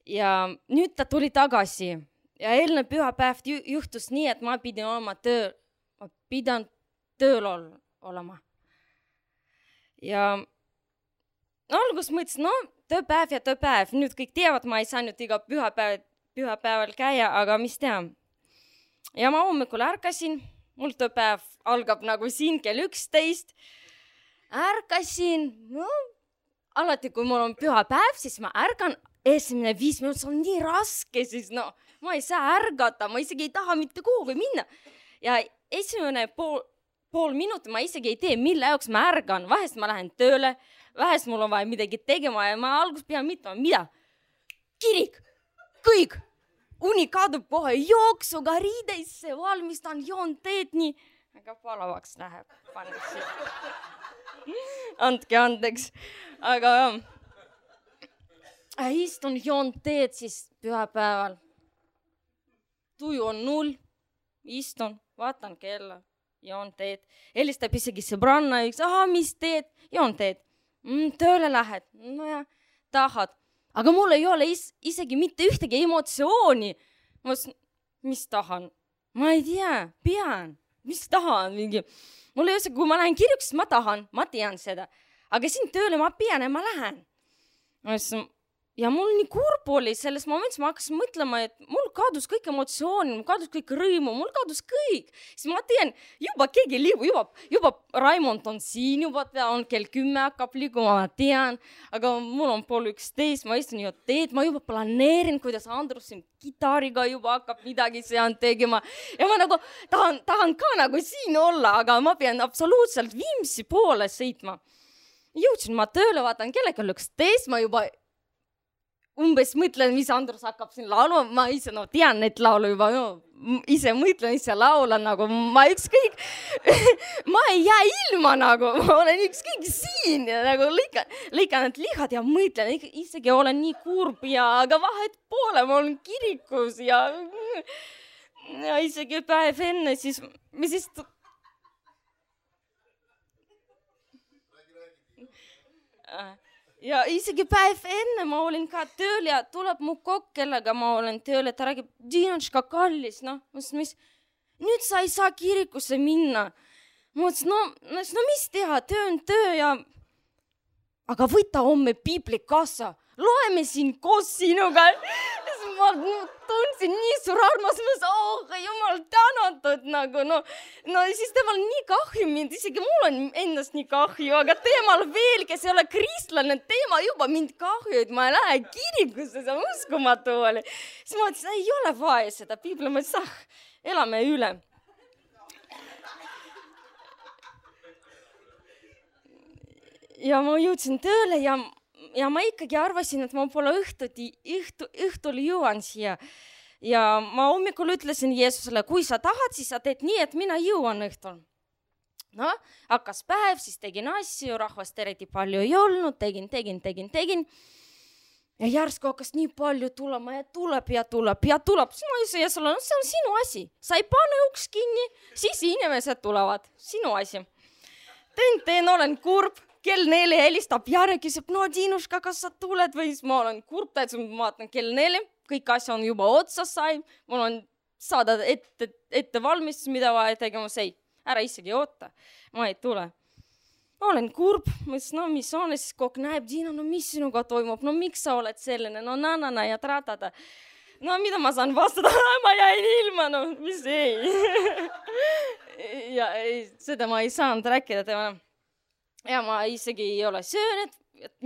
Ja nüüd ta tuli tagasi ja eelne pühapäev juhtus nii, et ma pidan tööl olema. Ja algus mõtlesin, tööpäev ja tööpäev, nüüd kõik teavad, ma ei saanud iga pühapäeval käia, aga mis teha. Ja ma hommikul ärkasin, mul tööpäev algab nagu siin kell 11. Ärkasin, alati, kui mul on pühapäev, siis ma ärgan, esimene 5 minutit, see on nii raske, siis no, ma ei saa ärgata, ma isegi ei taha mitte kuhugi minna. Ja esimene pool minutit ma isegi ei tee, mille jaoks ma ärgan. Vahest ma lähen tööle, vahest mul on vaja midagi tegema ja ma alguses pean mitlema, mida? Kirik, kõik, uni kadub kohe, jooksuga riideisse, valmistan, joon teed nii, aga palavaks läheb, andke andeks, aga istun, joon teed siis pühapäeval, tuju on 0, istun, vaatan kella, joon teed, helistab isegi sõbranna, mis teed, joon teed, tööle lähed, no ja tahad. Aga mul ei ole isegi mitte ühtegi emotsiooni. Mis tahan? Ma ei tea, pean. Mis tahan? Mul ei ole, kui ma lähen kirjuks, ma tahan, ma tean seda. Aga siin tööle ma pean ja ma lähen. Ja mul nii kurb oli selles momendis, ma hakkasin mõtlema, et mul kadus kõik emotsiooni, mul kadus kõik rõimu, mul kadus kõik. Siis ma tean, juba keegi liigub, juba Raimond on siin, juba on kell 10 hakkab liiguma, ma tean, aga mul on 10:30, ma istun ju teed, ma juba planeerin, kuidas Andrus siin kitariga juba hakkab midagi seal tegema. Ja ma nagu tahan ka nagu siin olla, aga ma pean absoluutselt Viimsi poole sõitma. Jõudsin ma tööle, vaatan kellega 11, ma juba umbes mõtlen, mis Andrus hakkab siin laulu, ma ise tean neid laulu juba, ise mõtlen, ise laulan, nagu ma ükskõik, ma ei jää ilma nagu, ma olen ükskõik siin ja nagu lõikan need lihad ja mõtlen, isegi olen nii kurb ja aga vahet poole, ma olen kirikus ja isegi päev enne, siis me siis ja isegi päev enne ma olin ka tööl ja tuleb mu kokk, kellega ma olen tööl, et ta räägib, Dinotška kallis, nüüd sa ei saa kirikusse minna. Ma mõtlesin, mis teha, töö on töö ja aga võta homme piibli kaasa, loeme siin koos sinuga. Ma tundsin nii suur armas, ma jumal tänatud nagu, no siis temal nii kahju mind, isegi mul on ennast nii kahju, aga temal veel, kes ei ole kristlane, tema juba mind kahju, et ma ei lähe kirikusse, see uskumatu oli. Siis ma ütlesin, ei ole vaja seda piibli, ma ütlesin, elame üle. Ja ma jõudsin tööle ja ma ikkagi arvasin, et ma pole õhtul jõuan siia. Ja ma hommikul ütlesin Jeesusele, kui sa tahad, siis sa teed nii, et mina jõuan õhtul. No, hakkas päev, siis tegin asju, rahvast eriti palju ei olnud, tegin. Ja järsku hakkas nii palju tulema ja tuleb. Siis ma ütlesin Jeesusele, see on sinu asi. Sa ei pane uks kinni, siis inimesed tulevad. Sinu asi. Teen, olen kurb. Kell 4 helistab Jare, küsib, Dinuška, kas sa tuled või siis ma olen kurb, et ma vaatan kell 4, kõik asja on juba otsa sai, mul on saada ette valmistus, mida vaja tegema, ära isegi oota, ma ei tule. Ma olen kurb, mõtlesin, mis on, siis kokk näeb, Dina, mis sinuga toimub, miks sa oled selline, na ja tratada. Mida ma saan vastada, ma jäin ilma, mis ei. Ja seda ma ei saanud rääkida tema. Ja ma isegi ei ole söönud,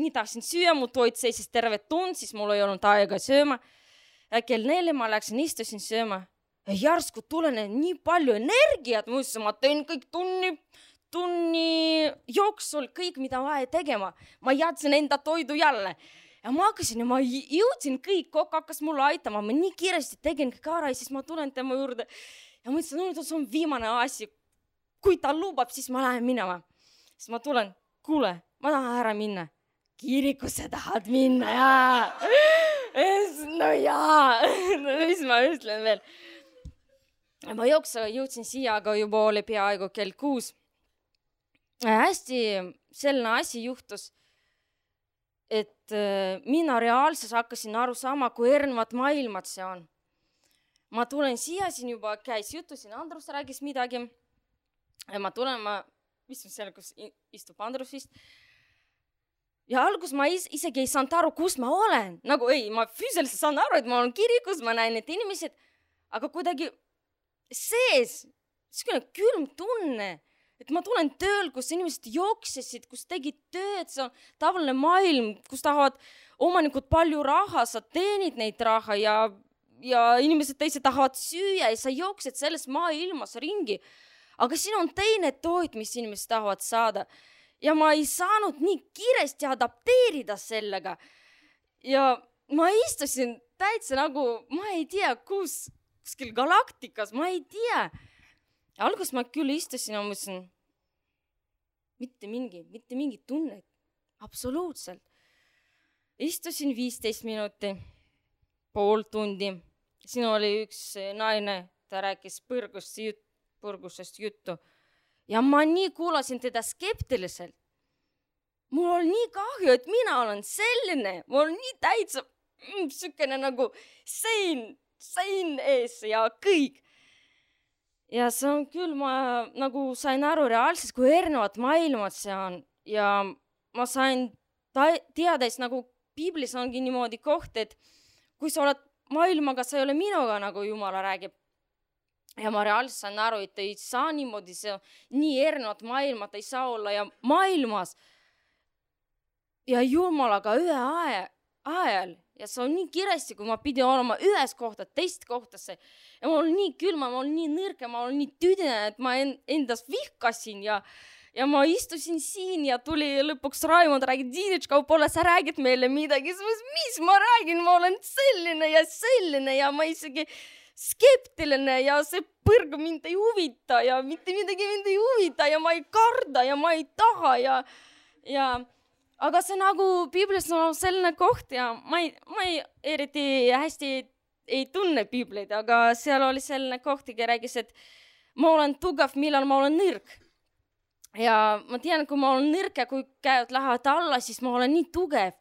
nii tahtsin süüa, mu toit seisis terve tund, siis mul ei olnud aega sööma. Ja kell 4 ma läksin, istusin sööma. Ja järsku tulen nii palju energiat, ma teen kõik tunni jooksul, kõik mida vaja tegema. Ma jätsin enda toidu jälle. Ja ma hakkasin ja ma jõudsin kõik, kokk hakkas mulle aitama. Ma nii kiiresti tegin kõik ära ja siis ma tulen tema juurde. Ja ma ütlesin, see on viimane asi. Kui ta lubab, siis ma lähen minema. Siis ma tulen, kuule, ma tahan ära minna. Kirikusse tahad minna, jaa. No jaa, mis ma ütlen veel. Ma jõudsin siia, aga juba oli peaaegu kell 6. Hästi selline asi juhtus, et mina reaalses hakkasin aru sama, kui erinevad maailmad see on. Ma tulen siia, siin juba käis jutu, siin Andrus räägis midagi. Ja ma tulen, istun seal, kus istub Andrus vist. Ja algus ma isegi ei saanud aru, kus ma olen. Nagu ma füüsiliselt saan aru, et ma olen kirikus, ma näen need inimesed, aga kuidagi sees, külm tunne, et ma tulen tööl, kus inimesed jooksesid, kus tegid tööd, see on tavaline maailm, kus tahavad omanikud palju raha, sa teenid neid raha ja inimesed teised tahavad süüa ja sa jooksed selles maailmas ringi. Aga siin on teine toit, mis inimesed tahavad saada. Ja ma ei saanud nii kiiresti adapteerida sellega. Ja ma istusin täitsa nagu, ma ei tea, kuskil galaktikas, ma ei tea. Alguses ma küll istusin ja mõtlesin, mitte mingi tunne, absoluutselt. Istusin 15 minuti, pool tundi. Siin oli üks naine, ta rääkis põrgusest juttu. Ja ma nii kuulasin teda skeptiliselt. Mul oli nii kahju, et mina olen selline. Mul on nii täitsa sükene nagu sein ees ja kõik. Ja see on küll, ma nagu sain aru reaalselt, kui erinevad maailmad see on. Ja ma sain teada, nagu Piiblis ongi niimoodi koht, et kui sa oled maailmaga, sa ei ole minuga, nagu Jumala räägib. Ja ma reaalselt sain aru, et ei saa niimoodi, see on nii erinevad maailmad, ei saa olla ja maailmas ja Jumalaga ühe ajal. Ja see on nii kiiresti, kui ma pidi olema ühes kohta, teist kohtasse. Ja ma olen nii külma, ma olen nii nõrge, ma olen nii tüdine, et ma endas vihkasin ja ma istusin siin ja tuli lõpuks Raimond räägid, Diinitška, võib-olla sa räägid meile midagi. Mis ma räägin, ma olen selline ja ma isegi skeptiline ja see põrg mind ei huvita ja mitte midagi mind ei huvita ja ma ei karda ja ma ei taha ja aga see nagu Piiblis on selline koht ja ma ei eriti hästi ei tunne Piiblit, aga seal oli selline koht, kes räägis, et ma olen tugev, millal ma olen nõrk. Ja ma tean, kui ma olen nõrk ja kui käed lähevad alla, siis ma olen nii tugev.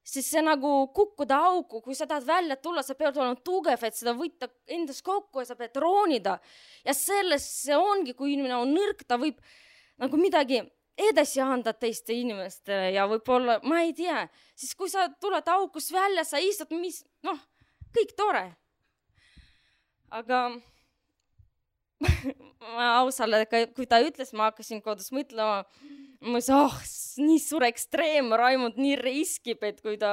Siis see nagu kukkuda auku, kui sa tahad välja tulla, sa pead olema tugev, et seda võtta endas kokku ja sa pead roonida. Ja selles see ongi, kui inimene on nõrk, ta võib nagu midagi edasi anda teiste inimestele ja võib-olla, ma ei tea, siis kui sa tuled aukus välja, sa istud, kõik tore. Aga ma ausalt, kui ta ütles, ma hakkasin kodus mõtlema, ma ütlesin, nii suur ekstreem, Raimond nii riskib, et kui ta,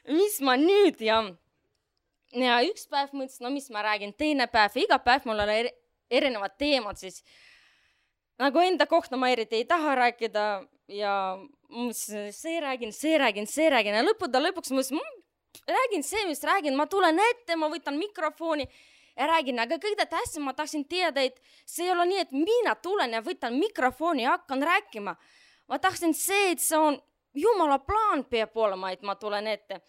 mis ma nüüd ja üks päev mõtlesin, mis ma räägin, teine päev, iga päev mul on erinevad teemad, siis nagu enda kohta ma eriti ei taha rääkida ja see räägin ja lõpuks ma räägin see, mis räägin, ma tulen ette, ma võtan mikrofoni ja räägin, aga kõige tähtsam ma tahtsin teada, et see ei ole nii, et mina tulen ja võtan mikrofoni ja hakkan rääkima. Ma tahtsin see, et see on Jumala plaan peab olema, et ma tulen ette.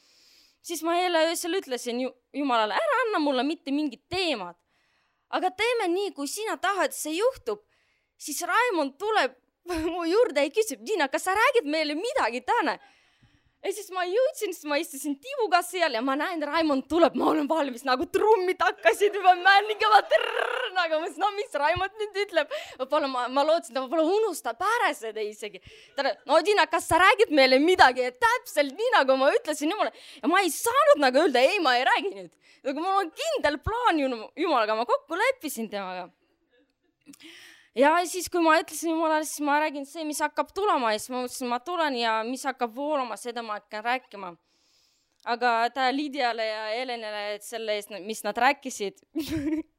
Siis ma jälle öösel ütlesin Jumalale, ära anna mulle mitte mingid teemad. Aga teeme nii, kui sina tahad, see juhtub, siis Raimond tuleb mu juurde ja küsib, Diina, kas sa räägid meile midagi täna? Ja siis ma jõudsin, siis ma istusin Tiivuga seal ja ma näen, Raimond tuleb, ma olen valmis, nagu trummid hakkasid juba männigevad, nagu ma mis Raimond nüüd ütleb. Ma lootsin, ta võib-olla unustab ära seda isegi. No Diina, kas sa räägid meile midagi? Ja täpselt nii, nagu ma ütlesin Jumala. Ja ma ei saanud nagu öelda, ei, ma ei räägi nüüd. Aga mul on kindel plaan Jumalaga, ma kokku leppisin temaga. Ja siis, kui ma ütlesin Jumalale, siis ma räägin see, mis hakkab tulema ja siis ma mõtlesin, ma tulen ja mis hakkab voolama, seda ma hakkan rääkima. Aga ta Liidiale ja Helenile, et selle eest, mis nad rääkisid,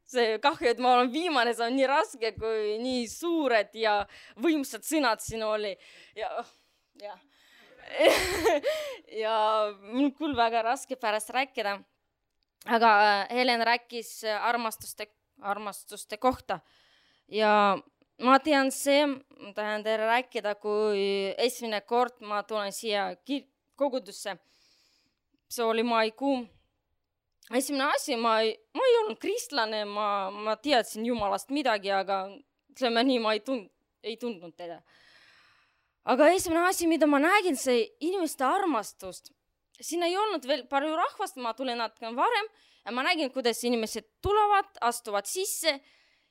see kahju, et ma olen viimane, see on nii raske, kui nii suured ja võimsad sõnad siin oli. Ja mul küll väga raske pärast rääkida. Aga Helen rääkis armastuste kohta. Ja ma tean see, ma tahan teile rääkida, kui esimene kord ma tulen siia kogudusse. See oli maikuu. Esimene asi, ma ei olnud kristlane, ma teadsin Jumalast midagi, aga ütleme nii, ma ei tundnud teda. Aga esimene asi, mida ma nägin, see inimeste armastust. Siin ei olnud veel palju rahvast, ma tulin natuke varem ja ma nägin, kuidas inimesed tulevad, astuvad sisse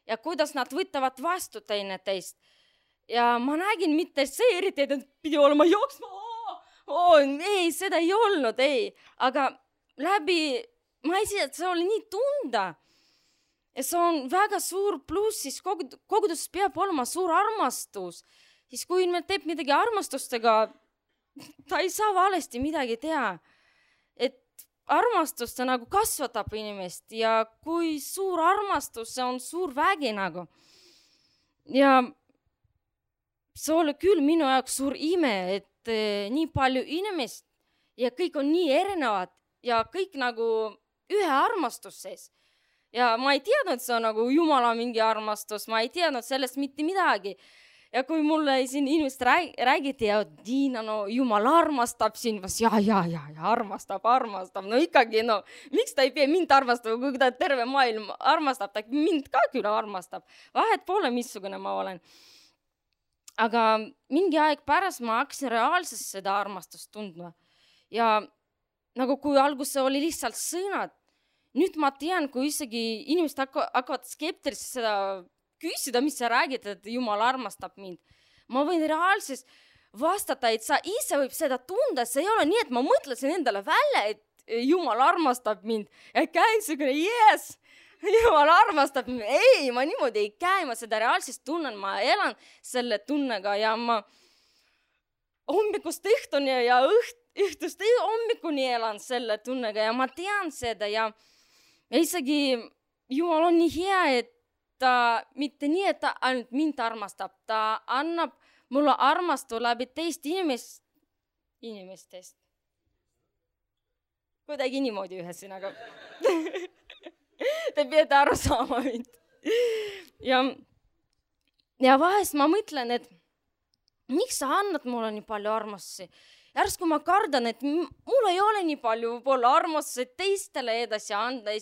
ja kuidas nad võtavad vastu teineteist. Ja ma nägin mitte see eriti, et pidi olema jooksma. Ei, seda ei olnud, ei. Aga läbi, ma ei tea, et see oli nii tunda. ja see on väga suur pluss, siis koguduses peab olema suur armastus. Siis kui me teeb midagi armastustega, ta ei saa valesti midagi teha. Et armastus ta nagu kasvatab inimest ja kui suur armastus, see on suur vägi nagu. Ja see oli küll minu jaoks suur ime, et nii palju inimest ja kõik on nii erinevad ja kõik nagu ühe armastus sees. Ja ma ei teadnud, see on nagu Jumala mingi armastus, ma ei teadnud sellest mitte midagi. Ja kui mulle siin inimesed räägiti ja Tiina, no Jumal armastab sind, ja, armastab. No ikkagi, no miks ta ei pea mind armastab, kui ta terve maailm armastab, ta mind ka küll armastab. Vahet pole, missugune ma olen. Aga mingi aeg pärast ma hakkasin reaalselt seda armastust tundma. Ja nagu kui alguses oli lihtsalt sõnad, nüüd ma tean, kui isegi inimesed hakkavad skeptiliselt seda küsida, mis sa räägid, et Jumal armastab mind. Ma võin reaalselt vastata, et sa ise võib seda tunda, see ei ole nii, et ma mõtlesin endale välja, et Jumal armastab mind. Ja käin selline, yes, Jumal armastab mind. Ei, ma niimoodi ei käi, ma seda reaalselt tunnen, ma elan selle tunnega ja ma hommikust õhtuni ja õhtust hommikuni elan selle tunnega ja ma tean seda ja isegi Jumal on nii hea, et ta mitte nii, et ta ainult mind armastab, ta annab mulle armastu läbi teist inimestest. Kuidagi niimoodi ühesõnaga. Te peate aru saama mind. Ja vahest ma mõtlen, et miks sa annad mulle nii palju armastusi? Järsku ma kardan, et mul ei ole nii palju võib-olla armastusi teistele edasi anda ja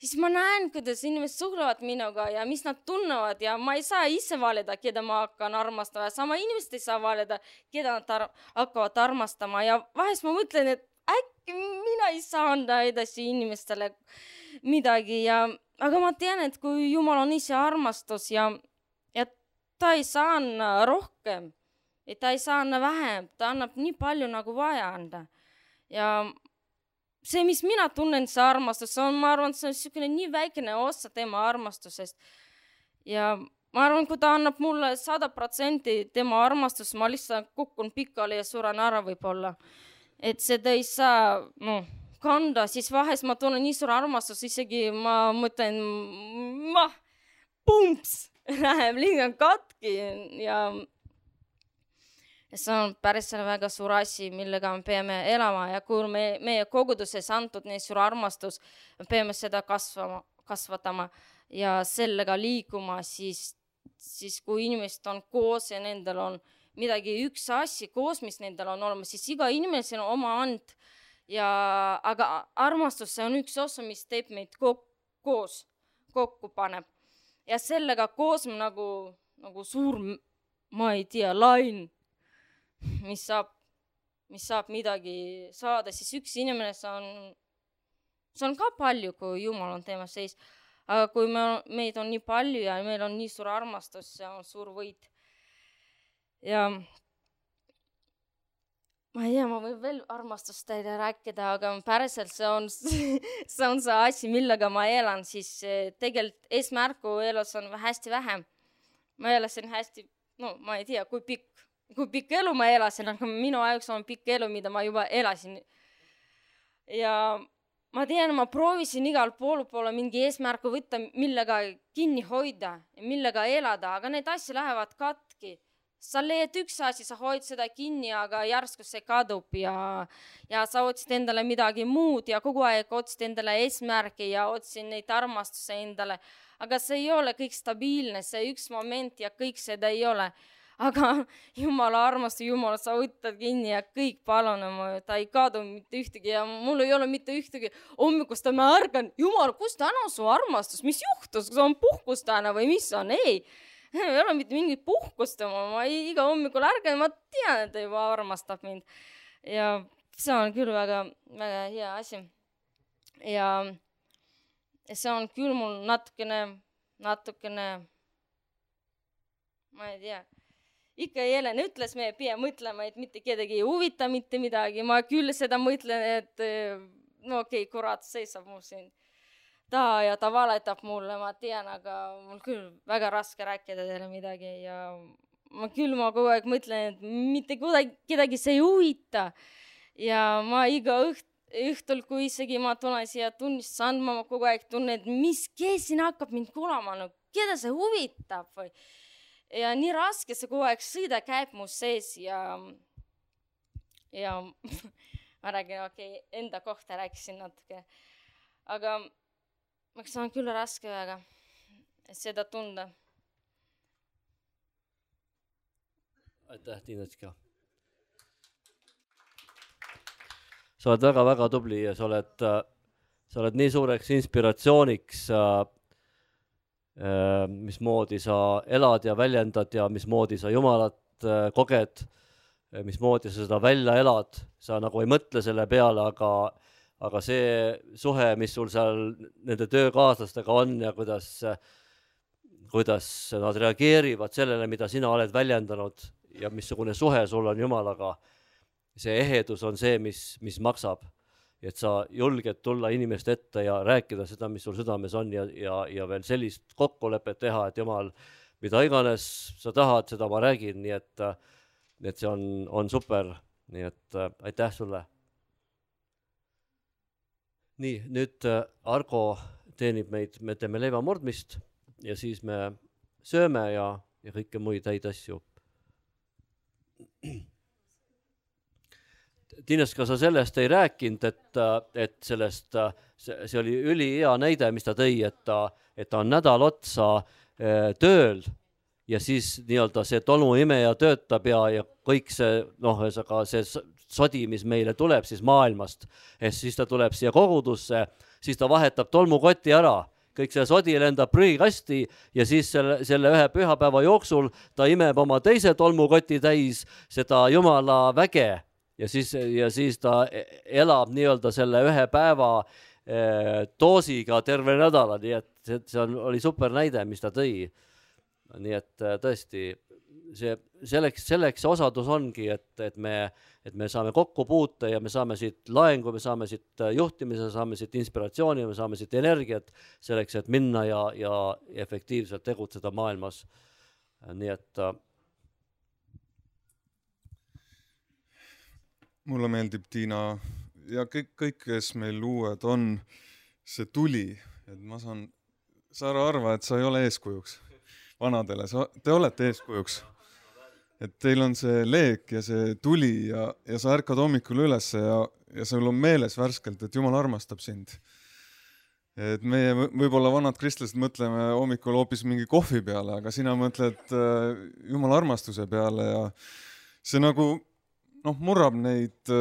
siis ma näen, kuidas inimesed suhtlevad minuga ja mis nad tunnevad ja ma ei saa ise valida, keda ma hakkan armastama ja sama inimesed ei saa valida, keda nad hakkavad armastama ja vahest ma mõtlen, et äkki mina ei saa anda edasi inimestele midagi aga ma tean, et kui Jumal on ise armastus ja ta ei saa anda rohkem, et ta ei saa anda vähem, ta annab nii palju nagu vaja anda ja see, mis mina tunnen, see armastus, ma arvan, see on niisugune nii väikene osa tema armastusest. Ja ma arvan, kui ta annab mulle 100% tema armastus, ma lihtsalt kukun pikali ja suren ära võib-olla. Et seda ei saa kanda, siis vahest ma tunnen nii suur armastus, isegi ma mõtlen, pumps, läheb liiga katki ja see on päris väga suur asi, millega me peame elama ja kui meie koguduses antud nii suur armastus, me peame seda kasvatama ja sellega liikuma, siis kui inimesed on koos ja nendel on midagi üks asi koos, mis nendel on olemas, siis iga inimesel on oma and aga armastus see on üks osa, mis teeb meid koos, kokku paneb ja sellega koos nagu suur, ma ei tea, lain mis saab midagi saada, siis üks inimene see on ka palju, kui Jumal on teema seis. Aga kui meid on nii palju ja meil on nii suur armastus, see on suur võit. Ja ma ei tea, ma võin veel armastust teile rääkida, aga päriselt see on see asi, millega ma elan, siis tegelikult eesmärku elus on hästi vähem. Ma elasin hästi, ma ei tea, kui pikk elu ma elasin, aga minu ajaks on pikk elu, mida ma juba elasin. Ja ma tean, ma proovisin igal poole mingi eesmärku võtta, millega kinni hoida ja millega elada, aga need asja lähevad katki. Sa leiad üks asi, sa hoid seda kinni, aga järsku see kadub ja sa otsid endale midagi muud ja kogu aeg otsid endale eesmärki ja otsid neid armastuse endale. Aga see ei ole kõik stabiilne, see üks moment ja kõik seda ei ole. Aga Jumala armastus, Jumal, sa võtad kinni ja kõik palun, ta ei kadu mitte ühtegi ja mul ei ole mitte ühtegi hommikust, ma ärgan, Jumal, kus täna su armastus, mis juhtus, kas on puhkus täna või mis on, ei ole mitte mingit puhkust, ma iga hommikul ärgan, ma tean, et ta juba armastab mind ja see on küll väga, väga hea asi ja see on küll mul natukene, ma ei tea, ikka Helen ütles, me pea mõtlema, et mitte kedagi ei huvita mitte midagi. Ma küll seda mõtlen, et okei, kurat seisab mu siin. ja ta valetab mulle, ma tean, aga mul küll väga raske rääkida teile midagi ja ma kogu aeg mõtlen, et mitte kedagi see ei huvita. Ja ma iga õhtul, kui isegi ma tulen siia tunnistust andma, ma kogu aeg tunnen, et kes siin hakkab mind kuulama, no keda see huvitab või. Ja nii raske see kogu aeg sõida käib mu sees ja ma räägin, enda kohta rääkisin natuke. Aga see on küll raske väga seda tunda. Aitäh, Tiinetska. Sa oled väga-väga tubli ja sa oled nii suureks inspiratsiooniks, mismoodi sa elad ja väljendad ja mismoodi sa Jumalat koged, mismoodi sa seda välja elad. Sa nagu ei mõtle selle peale, aga see suhe, mis sul seal nende töökaaslastega on ja kuidas nad reageerivad sellele, mida sina oled väljendanud ja missugune suhe sul on Jumalaga, see ehedus on see, mis maksab. Et sa julged tulla inimeste ette ja rääkida seda, mis sul südames on ja veel sellist kokkulepet teha, et Jumal, mida iganes sa tahad, seda ma räägin, nii et see on super. Nii et aitäh sulle. Nii, nüüd Argo teenib meid, me teeme leiva murdmist ja siis me sööme ja kõike muid häid asju. Tiineska, sa sellest ei rääkinud, et sellest, see oli ülihea näide, mis ta tõi, et ta on nädal otsa tööl ja siis nii-öelda see tolmuimeja töötab ja kõik see, see sodi, mis meile tuleb siis maailmast, siis ta tuleb siia kogudusse, siis ta vahetab tolmukoti ära, kõik see sodi lendab prügikasti ja siis selle ühe pühapäeva jooksul ta imeb oma teise tolmukoti täis seda Jumala väge ja siis ta elab nii-öelda selle ühe päeva doosiga terve nädala, nii et see oli super näide, mis ta tõi. Nii et tõesti, selleks osadus ongi, et me saame kokku puuta ja me saame siit laengu, me saame siit juhtimise, saame siit inspiratsiooni, me saame siit energiat selleks, et minna ja efektiivselt tegutseda maailmas. Nii et mulle meeldib, Tiina, ja kõik, kes meil uued on, see tuli, et sa ära arva, et sa ei ole eeskujuks vanadele, te olete eeskujuks. Et teil on see leek ja see tuli ja sa ärkad hommikul üles ja sul on meeles värskelt, et Jumal armastab sind. Et meie võib-olla vanad kristlased mõtleme hommikul hoopis mingi kohvi peale, aga sina mõtled Jumala armastuse peale ja see nagu murrab neid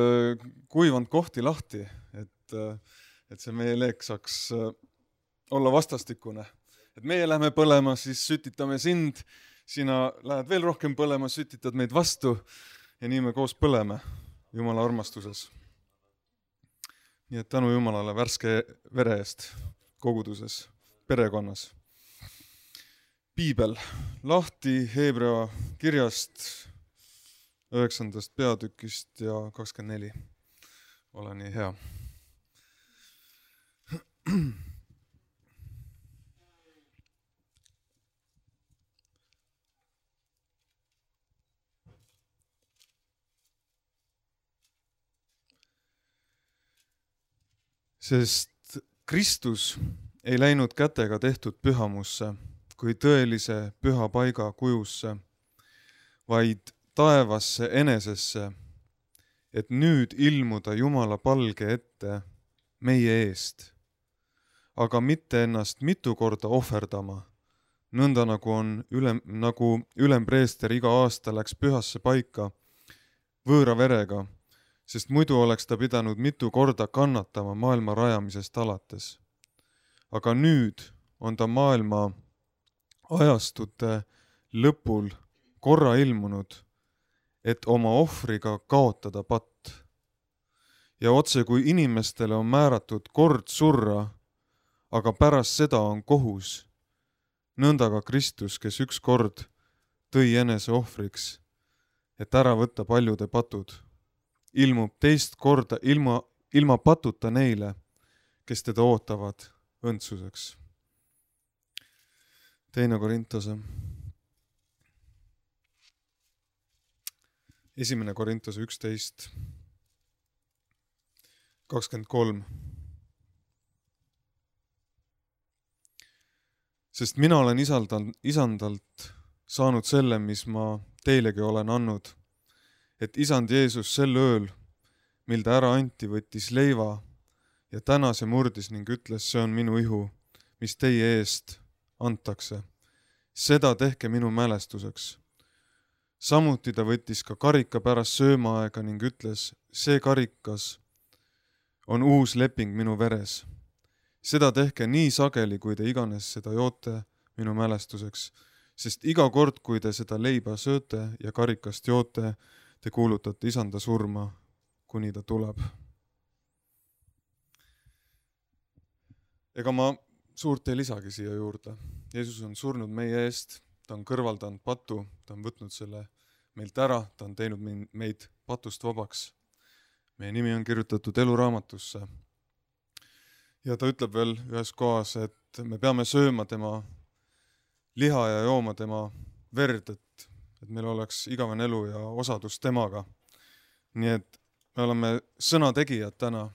kuivanud kohti lahti, et see meie leek saaks olla vastastikune. Et meie lähme põlema, siis sütitame sind, sina lähed veel rohkem põlema, sütitad meid vastu ja nii me koos põleme Jumala armastuses. Nii et tänu Jumalale värske vere eest koguduses, perekonnas. Piibel, lahti Hebrea kirjast 9. peatükist ja 24. Ole nii hea. Sest Kristus ei läinud kätega tehtud pühamusse kui tõelise püha paiga kujusse, vaid taevasse enesesse, et nüüd ilmuda Jumala palge ette meie eest, aga mitte ennast mitu korda ohverdama, nõnda nagu ülempreester iga aasta läks pühasse paika võõra verega, sest muidu oleks ta pidanud mitu korda kannatama maailma rajamisest alates. Aga nüüd on ta maailma ajastute lõpul korra ilmunud, et oma ohvriga kaotada patt. Ja otse kui inimestele on määratud kord surra, aga pärast seda on kohus, nõnda ka Kristus, kes üks kord tõi enese ohvriks, et ära võtta paljude patud, ilmub teist korda ilma patuta neile, kes teda ootavad õndsuseks. 2. Korintuse, 1. Korintuse 11, 23. Sest mina olen isandalt saanud selle, mis ma teilegi olen andnud, et isand Jeesus sel ööl, mil ta ära anti, võttis leiva ja tänas ja murdis ning ütles, see on minu ihu, mis teie eest antakse. Seda tehke minu mälestuseks. Samuti ta võttis ka karika pärast söömaaega ning ütles, see karikas on uus leping minu veres. Seda tehke nii sageli, kui te iganes seda joote minu mälestuseks, sest iga kord, kui te seda leiba sööte ja karikast joote, te kuulutate isanda surma, kuni ta tuleb. Ega ma suurt ei lisagi siia juurde. Jeesus on surnud meie eest, ta on kõrvaldanud patu, ta on võtnud selle meilt ära, ta on teinud meid patust vabaks. Meie nimi on kirjutatud eluraamatusse. Ja ta ütleb veel ühes kohas, et me peame sööma tema liha ja jooma tema verd, et meil oleks igavene elu ja osadus temaga. Nii et me oleme sõnategijad täna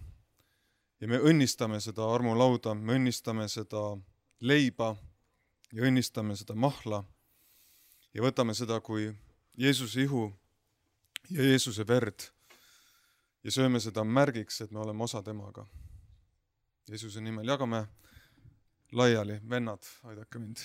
ja me õnnistame seda armulauda, me õnnistame seda leiba ja õnnistame seda mahla ja võtame seda kui Jeesuse ihu ja Jeesuse verd ja sööme seda märgiks, et me oleme osa temaga. Jeesuse nimel jagame laiali, vennad, aidake mind.